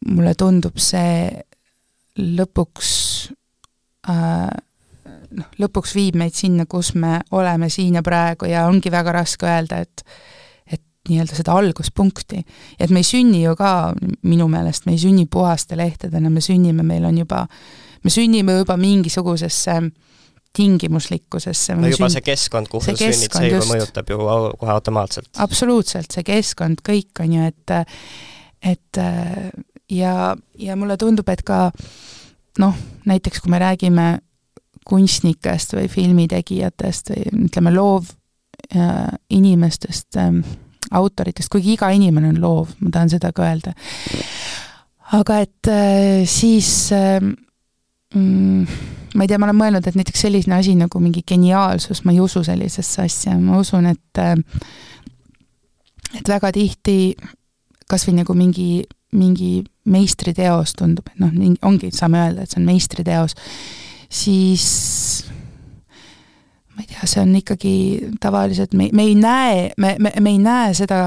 mulle tundub see lõpuks viib meid sinna, kus me oleme siin ja praegu ja ongi väga raske öelda, et nii-öelda seda alguspunkti. Et me ei sünni ju ka, minu meelest, me ei sünni puhaste lehtedena, me sünnime juba mingisugusesse tingimuslikkusesse. No juba see keskkond, kuhu sa sünnid, see juba mõjutab ju kohe automaatselt. Absoluutselt, see keskkond, kõik on ju, et ja mulle tundub, et ka näiteks kui me räägime kunstnikest või filmitegijatest või ütleme loov inimestest, autoritest, kuigi iga inimene on loov, ma tahan seda ka öelda. Aga et siis ma ei tea, ma olen mõelnud, et näiteks selline asi nagu mingi geniaalsus, ma ei usu sellisesse asja, ma usun, et väga tihti kas või nagu mingi meistriteos tundub, et ongi, saame öelda, et see on meistriteos, siis ma ei tea, see on ikkagi tavaliselt, me ei näe seda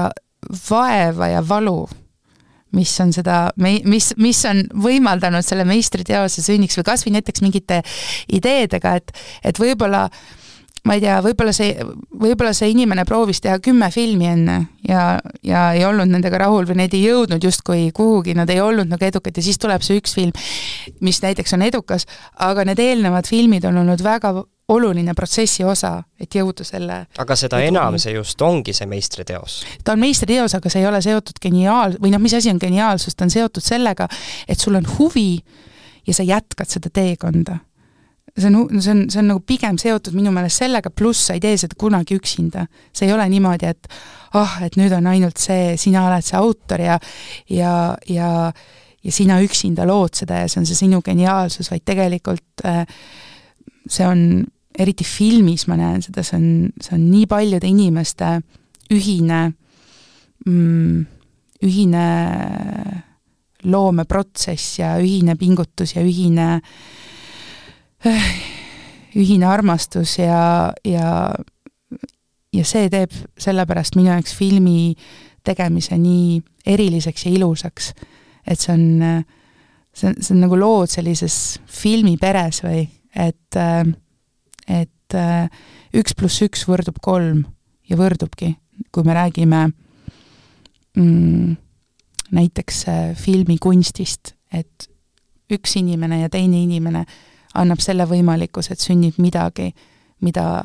vaeva ja valu, mis on mis on võimaldanud selle meistriteose sünniks või kas või näiteks mingite ideedega, et võib-olla ma ei tea, võib-olla see inimene proovis teha 10 filmi enne ja ei olnud nendega rahul või need ei jõudnud justkui kuhugi, nad ei olnud nagu edukad ja siis tuleb see üks film, mis näiteks on edukas, aga need eelnevad filmid on olnud väga oluline protsessi osa, et jõuda selle... Aga seda enam see just ongi see meistriteos. Ta on meistriteos, aga see ei ole seotud mis asi on geniaalsus, ta on seotud sellega, et sul on huvi ja sa jätkad seda teekonda. See on nagu pigem seotud minu meelest sellega, pluss sa ei tee seda kunagi üksinda. See ei ole niimoodi, et nüüd on ainult see, sina oled see autor ja sina üksinda lood seda ja see on see sinu geniaalsus, vaid tegelikult see on, eriti filmis ma näen seda, see on nii paljude inimeste ühine loomeprotsess ja ühine pingutus ja ühine armastus ja see teeb sellepärast minu jaoks filmi tegemise nii eriliseks ja ilusaks, et see on nagu lood sellises filmiperes või, et 1+1 võrdub 3 ja võrdubki, kui me räägime näiteks filmikunstist, et üks inimene ja teine inimene annab selle võimalikkuse, et sünnib midagi, mida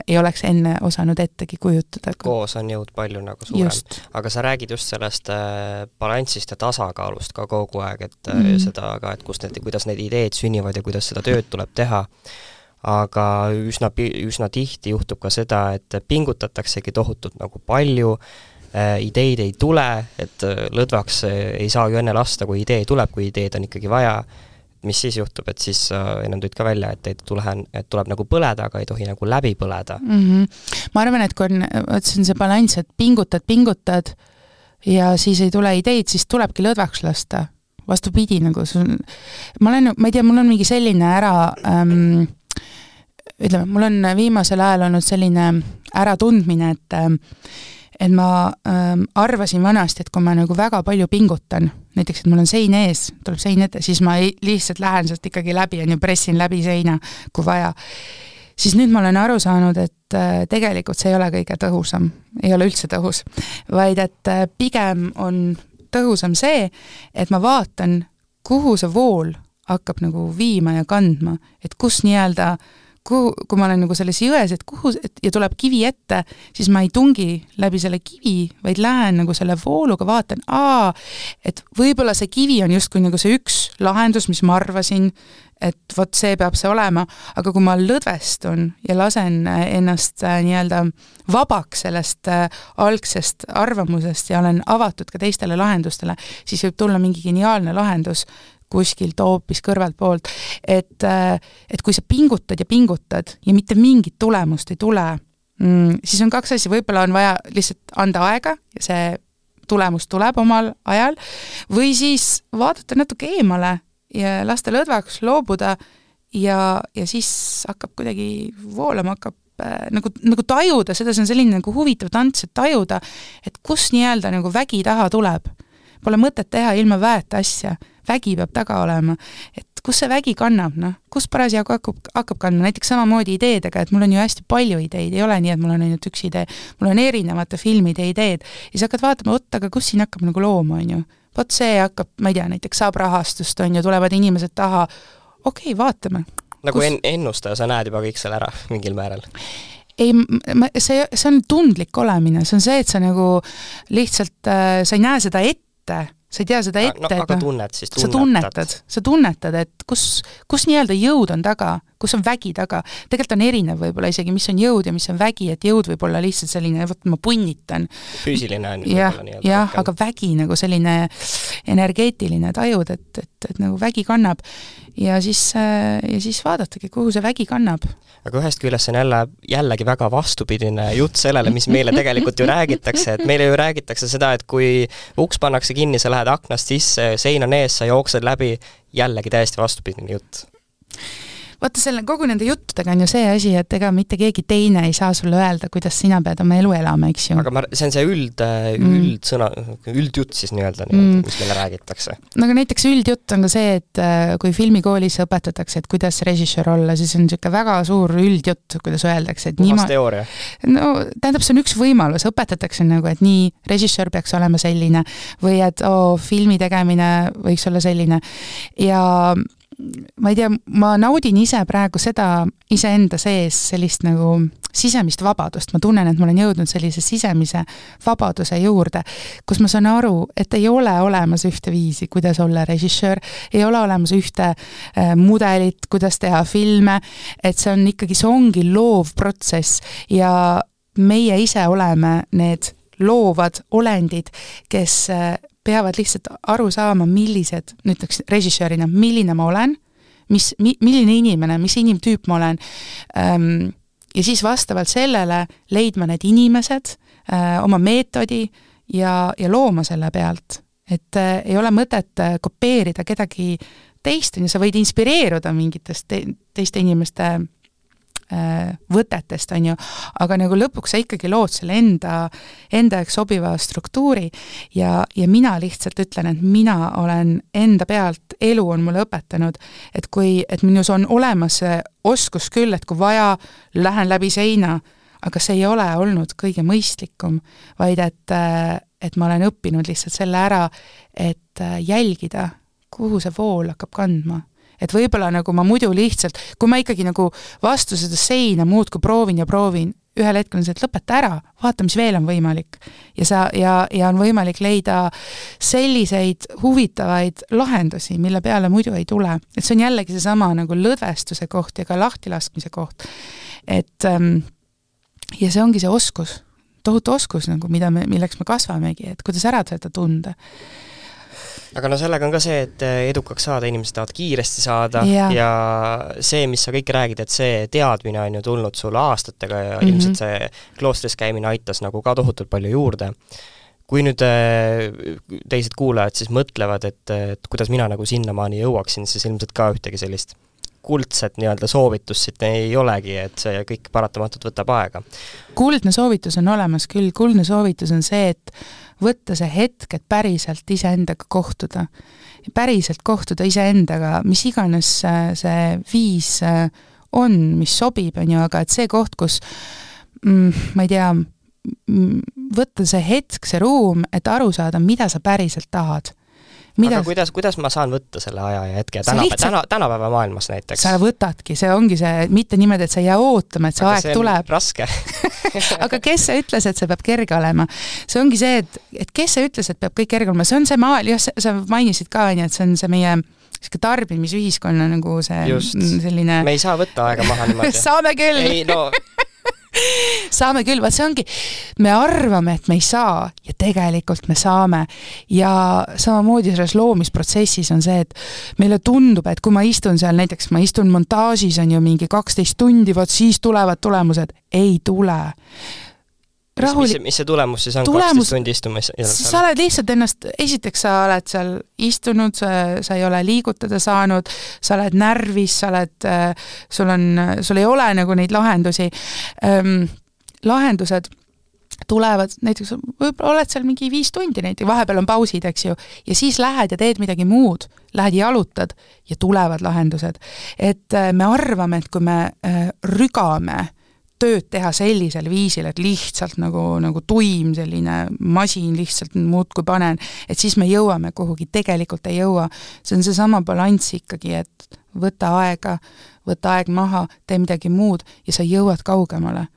ei oleks enne osanud ettegi kujutada. Koos on jõud palju nagu suurem. Aga sa räägid just sellest balanssist ja tasakaalust ka kogu aeg, et seda ka, et kuidas need ideed sünnivad ja kuidas seda tööd tuleb teha. Aga üsna tihti juhtub ka seda, et pingutataksegi tohutult nagu palju, ideid ei tule, et lõdvaks ei saa ju enne lasta, kui idee tuleb, kui ideed on ikkagi vaja. Mis siis juhtub, et siis enam tulid ka välja, et tuleb nagu põleda, aga ei tohi nagu läbi põleda. Ma arvan, et kui on see balanss, et pingutad ja siis ei tule ideid, siis tulebki lõdvaks lasta. Vastupidi, nagu ma ei tea, mul on mingi selline ütleme, mul on viimasel ajal olnud selline äratundmine, et ma arvasin vanasti, et kui ma nagu väga palju pingutan, näiteks, et mul on sein ees, tuleb sein ette, siis ma lihtsalt lähen sealt ikkagi läbi ja pressin läbi seina, kui vaja. Siis nüüd ma olen aru saanud, et tegelikult see ei ole kõige tõhusam, ei ole üldse tõhus, vaid et pigem on tõhusam see, et ma vaatan, kuhu see vool hakkab nagu viima ja kandma, et kus nii-öelda kui ma olen nagu selles jões, ja tuleb kivi ette, siis ma ei tungi läbi selle kivi, vaid lähen nagu selle vooluga, vaatan, et võib-olla see kivi on justkui nagu see üks lahendus, mis ma arvasin, et vot see peab see olema, aga kui ma lõdvestun ja lasen ennast nii-öelda vabaks sellest algsest arvamusest ja olen avatud ka teistele lahendustele, siis võib tulla mingi geniaalne lahendus kuskilt hoopis kõrvalt poolt, et kui sa pingutad ja mitte mingit tulemust ei tule, siis on kaks asja, võib-olla on vaja lihtsalt anda aega ja see tulemus tuleb omal ajal, või siis vaadata natuke eemale ja lasta lõdvaks loobuda ja siis hakkab kuidagi voolama, hakkab nagu tajuda, seda see on selline nagu huvitav tants, et tajuda, et kus nii-öelda nagu vägi taha tuleb. Pole mõtet teha ilma väeta asja, vägi peab taga olema, et kus see vägi kannab, kus parasjagu hakkab kandma, näiteks samamoodi ideedega, et mul on ju hästi palju ideid, ei ole nii, et mul on ainult üks idee, mul on erinevate filmide ideed, ja sa hakkad vaatama, aga kus siin hakkab nagu looma, on ju, vot see hakkab, ma ei tea, näiteks saab rahastust, on ju, tulevad inimesed taha, okei, vaatame. Nagu ennustaja, sa näed juba kõik seal ära mingil määral? Ei, see on tundlik olemine, see on see, et sa nagu lihtsalt, sa ei näe seda ette, sa ei tea seda ette, aga tunned siis, sa tunnetad, et kus nii-öelda jõud on taga, kus on vägi taga. Tegelikult on erinev võib-olla isegi, mis on jõud ja mis on vägi, et jõud võib olla lihtsalt selline, võt ma punnitan. Füüsiline on võib-olla nii-öelda. Jah, aga vägi nagu selline energeetiline tajud, et nagu vägi kannab ja siis vaadatagi, kuhu see vägi kannab. Aga ühest küljest on jällegi väga vastupidine jutt sellele, mis meile tegelikult ju räägitakse, et meile ju räägitakse seda, et kui uks pannakse kinni, sa lähed aknast sisse, sein on ees, sa jooksed läbi, jällegi täiesti vastupidine jutt. Vaata, kogu nende juttudega on ju see asi, et ega mitte keegi teine ei saa sulle öelda, kuidas sina pead oma elu elama, eks ju. Aga see on see üldjutt siis nii-öelda, mis meile räägitakse. Aga näiteks üldjutt on ka see, et kui filmikoolis õpetatakse, et kuidas režissöör olla, siis on niisugune väga suur üldjutt, kuidas öeldakse. Puhas teooria. No, tähendab, see on üks võimalus, õpetatakse nagu, et nii, režissöör peaks olema selline või et filmi tegemine võiks olla selline ja ma ei tea, ma naudin ise praegu seda iseenda sees sellist nagu sisemist vabadust, ma tunnen, et ma olen jõudnud sellise sisemise vabaduse juurde, kus ma saan aru, et ei ole olemas ühte viisi, kuidas olla režissöör, ei ole olemas ühte mudelit, kuidas teha filme, et see ongi loov protsess ja meie ise oleme need loovad olendid, kes peavad lihtsalt aru saama, millised, ütleks režissöörina, milline ma olen, milline inimene, mis inimtüüp ma olen, ja siis vastavalt sellele leidma need inimesed, oma meetodi ja looma selle pealt. Et ei ole mõtet kopeerida kedagi teist, ja sa võid inspireeruda mingitest teiste inimeste võtetest, on ju, aga nagu lõpuks sa ikkagi lood selle enda eks sobiva struktuuri ja mina lihtsalt ütlen, et mina olen enda pealt, elu on mulle õpetanud, et minus on olemas see oskus küll, et kui vaja, lähen läbi seina, aga see ei ole olnud kõige mõistlikum, vaid et ma olen õppinud lihtsalt selle ära, et jälgida, kuhu see vool hakkab kandma. Et võib-olla nagu ma muidu lihtsalt, kui ma ikkagi nagu vastu seda seina muudkui proovin ja proovin, ühel hetkel on see, et lõpeta ära, vaata, mis veel on võimalik. Ja on võimalik leida selliseid huvitavaid lahendusi, mille peale muidu ei tule. Et see on jällegi seesama nagu lõdvestuse koht ja ka lahtilaskmise koht. Et ja see ongi see oskus, tohutu oskus, nagu, milleks me kasvamegi, et kuidas ära seda tunda. Aga no sellega on ka see, et edukaks saada, inimesed tahavad kiiresti saada ja see, mis sa kõik räägid, et see teadmine on ju tulnud sulle aastatega ja ilmselt see kloostris käimine aitas nagu ka tohutult palju juurde. Kui nüüd teised kuulajad siis mõtlevad, et kuidas mina nagu sinnamaani jõuaksin, siis ilmselt ka ühtegi sellist kuldset nii-öelda soovitust siit ei olegi, et see kõik paratamatult võtab aega. Kuldne soovitus on olemas küll, kuldne soovitus on see, et võtta see hetk, et päriselt iseendaga kohtuda. Päriselt kohtuda iseendaga, mis iganes see viis on, mis sobib, on ju, aga et see koht, kus ma ei tea, võtta see hetk, see ruum, et aru saada, mida sa päriselt tahad. Aga kuidas ma saan võtta selle aja ja hetke tänapäeva maailmas näiteks? Sa võtadki, see ongi see, mitte niimoodi, et sa ei jää ootama, et see aeg tuleb. Raske. Aga kes see ütles, et see peab kerge olema? See ongi see, et kes see ütles, et peab kõik kerge olema? See on see maal, sa mainisid ka, et see on see meie tarbimisühiskonna nagu see just. Selline... Me ei saa võtta aega maha niimoodi. Saame küll! Ei, no... Saame küll, vaat see ongi, me arvame, et me ei saa ja tegelikult me saame ja samamoodi selles loomisprotsessis on see, et meile tundub, et kui ma istun seal, näiteks ma istun montaažis on ju mingi 12 tundi, vaat siis tulevad tulemused, ei tule. Mis see tulemus siis on 12 tundi istumas? Sa oled lihtsalt ennast, esiteks sa oled seal istunud, sa ei ole liigutada saanud, sa oled närvis, sul ei ole nagu neid lahendusi. Lahendused tulevad, näiteks võib-olla oled seal mingi 5 tundi näiteks, vahepeal on pausid, eks ju, ja siis lähed ja teed midagi muud, lähed jalutad ja tulevad lahendused. Et me arvame, et kui me rügame tööd teha sellisel viisil, et lihtsalt nagu tuim selline masin lihtsalt muudkui panen, et siis me jõuame kuhugi, tegelikult ei jõua. See on seesama balanss ikkagi, et võta aeg maha, tee midagi muud ja sa jõuad kaugemale.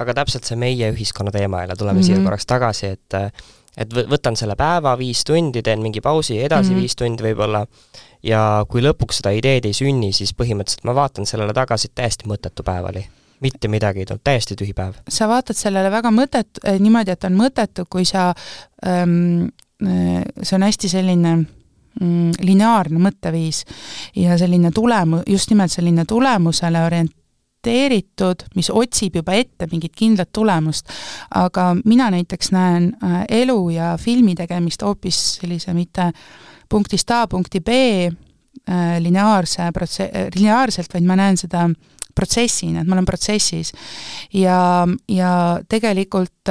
Aga täpselt see meie ühiskonna teema jälle, tuleme siia korraks tagasi, et võtan selle päeva 5 tundi, teen mingi pausi, edasi 5 tundi võib-olla ja kui lõpuks seda ideed ei sünni, siis põhimõtteliselt ma vaatan sellele tagasi täiesti mõttetu päevali. Mitte midagi ei tulnud, täiesti tühi päev. Sa vaatad sellele väga niimoodi, et on mõttetu, kui see on hästi selline lineaarne mõtteviis ja selline just nimelt selline tulemusele orienteeritud, mis otsib juba ette mingit kindlat tulemust. Aga mina näiteks näen elu ja filmi tegemist hoopis sellise mitte punktist A, punkti B lineaarselt, vaid ma näen seda protsessina, et ma olen protsessis ja tegelikult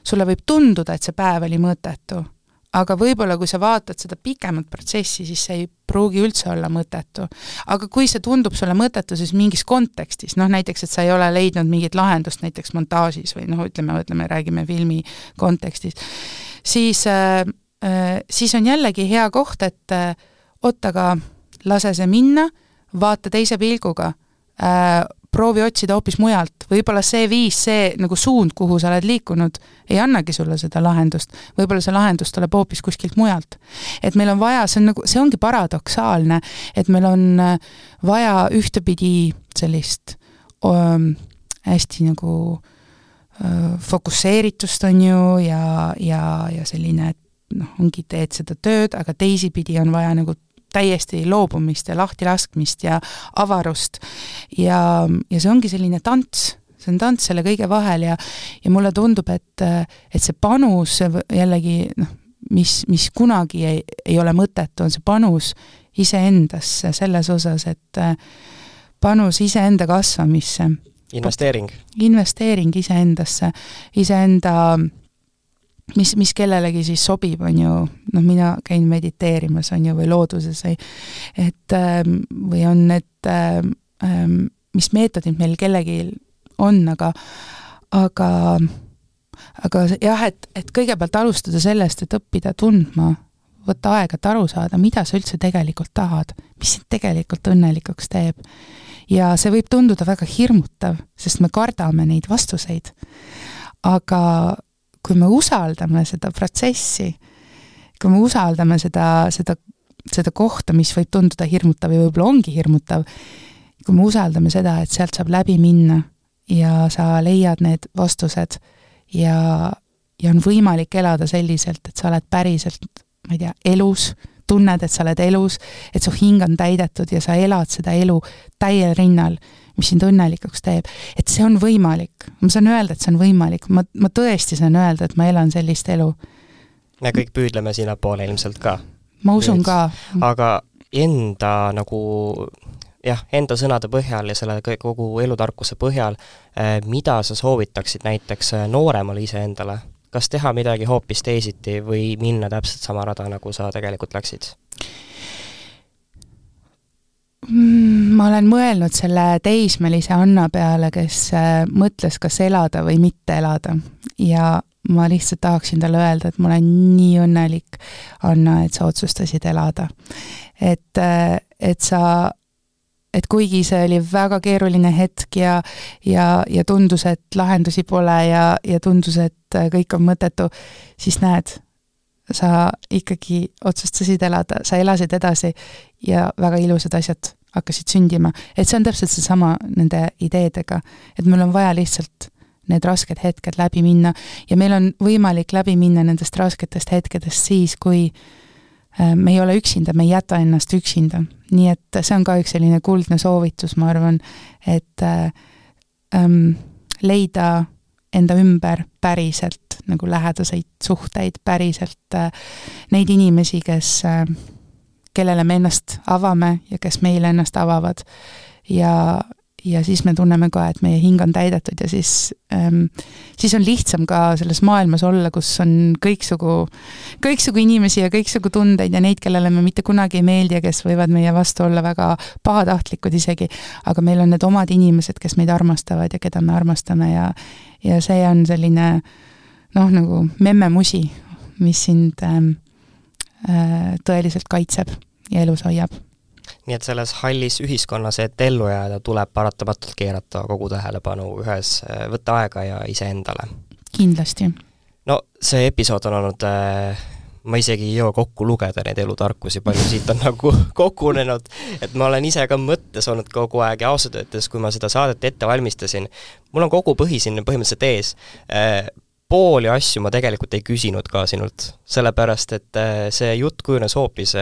sulle võib tunduda, et see päev oli mõttetu, aga võib-olla kui sa vaatad seda pikemat protsessi, siis see ei pruugi üldse olla mõttetu. Aga kui see tundub sulle mõttetu, siis mingis kontekstis, näiteks, et sa ei ole leidnud mingit lahendust näiteks montaažis või ütleme, räägime filmi kontekstis, siis on jällegi hea koht, et ottaga lase see minna, vaata teise pilguga, proovi otsida hoopis mujalt. Võib-olla see viis, see nagu suund, kuhu sa oled liikunud, ei annagi sulle seda lahendust. Võib-olla see lahendus tuleb hoopis kuskilt mujalt. Et meil on vaja, see ongi paradoksaalne, et meil on vaja ühtepidi sellist hästi nagu fokusseeritust on ju ja selline, et ongi teed seda tööd, aga teisipidi on vaja nagu täiesti loobumist ja lahtilaskmist ja avarust ja see ongi selline tants, see on tants selle kõige vahel ja mulle tundub, et see panus jällegi, mis kunagi ei ole mõttetu, on see panus iseendasse selles osas, et panus iseenda kasvamisse. Investeering iseendasse, iseenda mis kellelegi siis sobib, on ju, mina käin mediteerimas, on ju, või looduses, või on need, mis meetodid meil kellegi on, aga jah, et kõigepealt alustada sellest, et õppida tundma, võtta aega, et aru saada, mida sa üldse tegelikult tahad, mis sind tegelikult õnnelikuks teeb. Ja see võib tunduda väga hirmutav, sest me kardame neid vastuseid. Aga kui me usaldame seda protsessi, kui me usaldame seda kohta, mis võib tunduda hirmutav ja võib-olla ongi hirmutav, kui me usaldame seda, et sealt saab läbi minna ja sa leiad need vastused ja on võimalik elada selliselt, et sa oled päriselt, ma ei tea, elus, tunned, et sa oled elus, et su hing on täidetud ja sa elad seda elu täiel rinnal, mis sind õnnelikuks teeb. Et see on võimalik. Ma saan öelda, et see on võimalik. Ma tõesti saan öelda, et ma elan sellist elu. Me kõik püüdleme sinna poole ilmselt ka. Ma usun ka. Aga enda enda sõnade põhjal ja selle kogu elutarkuse põhjal, mida sa soovitaksid näiteks nooremale iseendale? Kas teha midagi hoopis teisiti või minna täpselt sama rada, nagu sa tegelikult läksid? Ma olen mõelnud selle teismelise Anna peale, kes mõtles, kas elada või mitte elada. Ja ma lihtsalt tahaksin talle öelda, et ma olen nii õnnelik, Anna, et sa otsustasid elada. Et kuigi see oli väga keeruline hetk ja tundus, et lahendusi pole ja tundus, et kõik on mõttetu, siis näed, sa ikkagi otsustasid elada, sa elasid edasi ja väga ilusad asjad hakkasid sündima. Et see on täpselt seesama nende ideedega, et meil on vaja lihtsalt need rasked hetked läbi minna ja meil on võimalik läbi minna nendest rasketest hetkedest siis, kui me ei ole üksinda, me ei jäta ennast üksinda. Nii et see on ka üks selline kuldne soovitus, ma arvan, et leida enda ümber päriselt nagu lähedaseid suhteid, päriselt neid inimesi, kellele me ennast avame ja kes meile ennast avavad. Ja siis me tunneme ka, et meie hing on täidetud ja siis on lihtsam ka selles maailmas olla, kus on kõiksugu inimesi ja kõiksugu tundeid ja neid, kellele me mitte kunagi ei meeldi ja kes võivad meie vastu olla väga pahatahtlikud isegi, aga meil on need omad inimesed, kes meid armastavad ja keda me armastame ja see on selline nagu memmemusi, mis sind tõeliselt kaitseb ja elus hoiab. Nii et selles hallis ühiskonnas, et ellu jääda, tuleb paratamatult keerata kogu tähelepanu ühes, võtta aega ja iseendale. Kindlasti. No see episood on olnud, ma isegi ei jõua kokku lugeda neid elutarkusi, palju siit on nagu kogunenud, et ma olen ise ka mõttes olnud kogu aeg ja ausalt öeldes, kui ma seda saadet ette valmistasin, mul on kogu põhi siin põhimõtteliselt ees. Pooli asju ma tegelikult ei küsinud ka sinult, sellepärast, et see jutt kujunes hoopis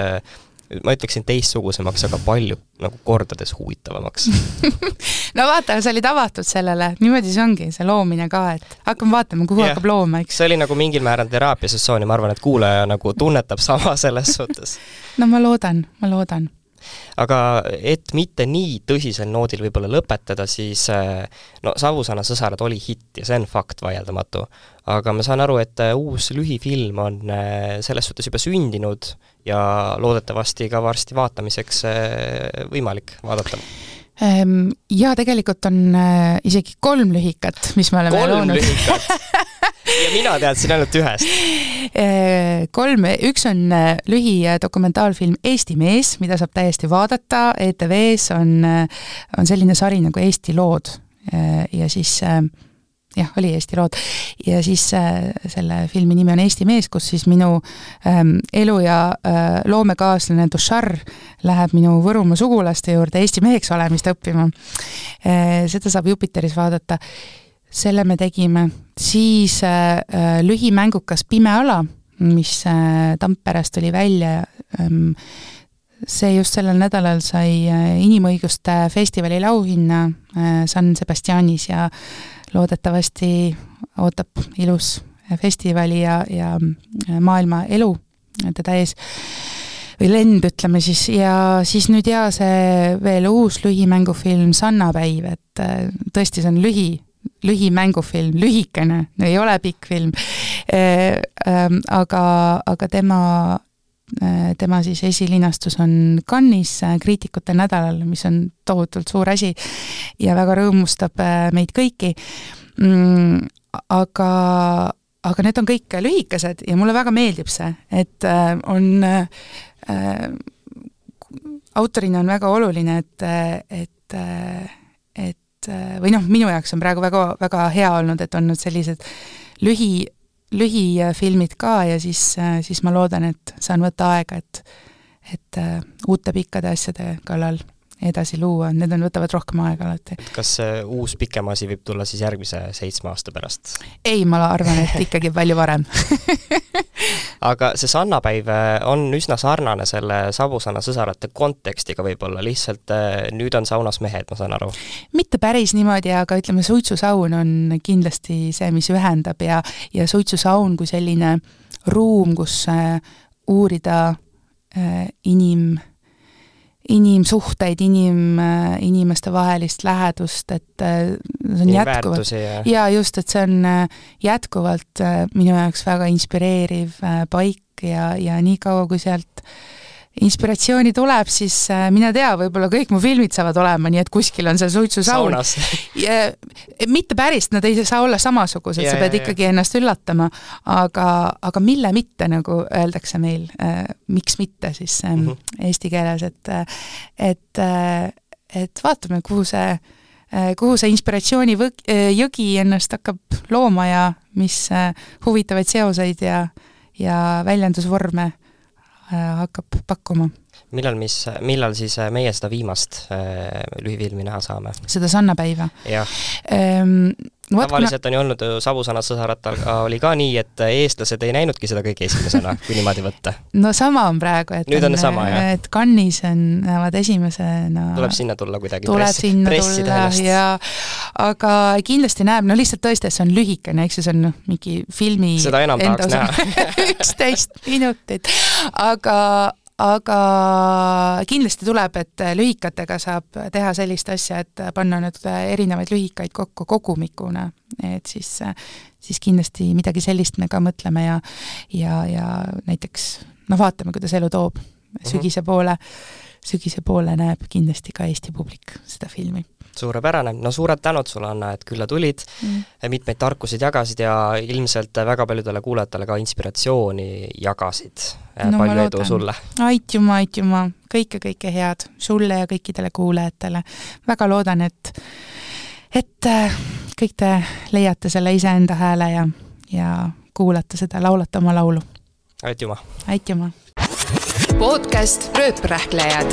ma ütleksin teistsugusemaks, aga palju nagu kordades huvitavamaks. No vaata, sa olid avatud sellele, niimoodi see ongi, see loomine ka, et hakkame vaatama, kuhu hakkab looma, eks. See oli nagu mingil määral teraapiasessioon ja ma arvan, et kuulaja nagu tunnetab sama selles suhtes. No ma loodan. Aga et mitte nii tõsisel noodil võib-olla lõpetada, siis Savusana sõsarad oli hitt ja see on fakt vaieldamatu. Aga ma saan aru, et uus lühifilm on selles suhtes juba sündinud ja loodetavasti ka varsti vaatamiseks võimalik vaadata. Ja tegelikult on isegi 3 lühikat, mis me oleme 3 loonud. 3 lühikat? Ja mina teadsin ainult ühest. 3, üks on lühi dokumentaalfilm Eesti mees, mida saab täiesti vaadata. ETV-s on selline sari nagu Eesti lood ja siis oli Eesti lood ja siis selle filmi nimi on Eesti mees, kus siis minu elu ja loomekaaslane Dušar läheb minu Võrumaa sugulaste juurde Eesti meheks olemist õppima. Seda saab Jupiteris vaadata. Selle me tegime. Siis lühimängukas Pime ala, mis Tamperest oli välja. See just sellel nädalal sai inimõiguste festivali lauhinna San Sebastianis ja loodetavasti ootab ilus festivali ja maailma elu teda ees või lend, ütleme siis, ja siis nüüd see veel uus lühimängufilm Sannapäiv, et tõesti see on lühimängufilm, lühikene, ei ole pikk film, aga tema siis esilinastus on Cannes'is kriitikute nädalal, mis on tohutult suur asi ja väga rõõmustab meid kõiki. aga need on kõik lühikesed ja mulle väga meeldib see, et on autorina on väga oluline, et või minu jaoks on praegu väga, väga hea olnud, et on sellised lühifilmid ka ja siis ma loodan, et saan võtta aega, et uute pikkade asjade kallal edasi luua, need võtavad rohkem aega alati. Kas uus pikem asi võib tulla siis järgmise 7 aasta pärast? Ei, ma arvan, et ikkagi palju varem. Aga see sannapäiv on üsna sarnane selle Savusaana sõsarate kontekstiga võib-olla, lihtsalt nüüd on saunas mehed, ma saan aru. Mitte päris niimoodi, aga ütleme, suitsusaun on kindlasti see, mis ühendab ja suitsusaun kui selline ruum, kus uurida inimsuhteid, inimeste vahelist lähedust, et see on jätkuvalt ja just, et see on jätkuvalt minu jaoks väga inspireeriv paik ja nii kaua, kui sealt inspiratsiooni tuleb, siis mine tea, võib-olla kõik mu filmid saavad olema, nii et kuskil on see suitsusaun. Mitte päris, nad ei saa olla samasugused, sa pead ikkagi ennast üllatama, aga mille mitte, nagu öeldakse meil, miks mitte siis eesti keeles, et vaatame, kuhu see inspiratsiooni jõgi ennast hakkab looma ja mis huvitavaid seoseid ja väljendusvorme hakkab pakkuma. Millal siis meie seda viimast lühifilmi näha saame? Seda sannapäiva? Jah. Tavaliselt on ju olnud Savusaana sõsaratal oli ka nii, et eestlased ei näinudki seda kõige esimesena, kui niimoodi võtta. No sama on praegu, et, nüüd on sama, et Cannes'is näevad esimesena tuleb sinna tulla kuidagi pressida ennast. Aga kindlasti näeb, lihtsalt tõesti, et see on lühikene, eks see on mingi filmi seda enam tahaks näha 11 minutit, aga kindlasti tuleb, et lühikatega saab teha sellist asja, et panna nüüd erinevaid lühikaid kokku kogumikuna, et siis kindlasti midagi sellist me ka mõtleme ja näiteks vaatame, kuidas elu toob sügise poole näeb kindlasti ka Eesti publik seda filmi. Suurepärane. No suured tänud sulle, Anna, et külla tulid, mitmeid tarkusid jagasid ja ilmselt väga paljudele kuulajatele ka inspiratsiooni jagasid. Palju edu sulle. Aitjuma. Kõike head sulle ja kõikidele kuulajatele. Väga loodan, et kõik te leiate selle iseenda hääle ja kuulate seda, laulate oma laulu. Aitjuma. Podcast Rööprähklejad.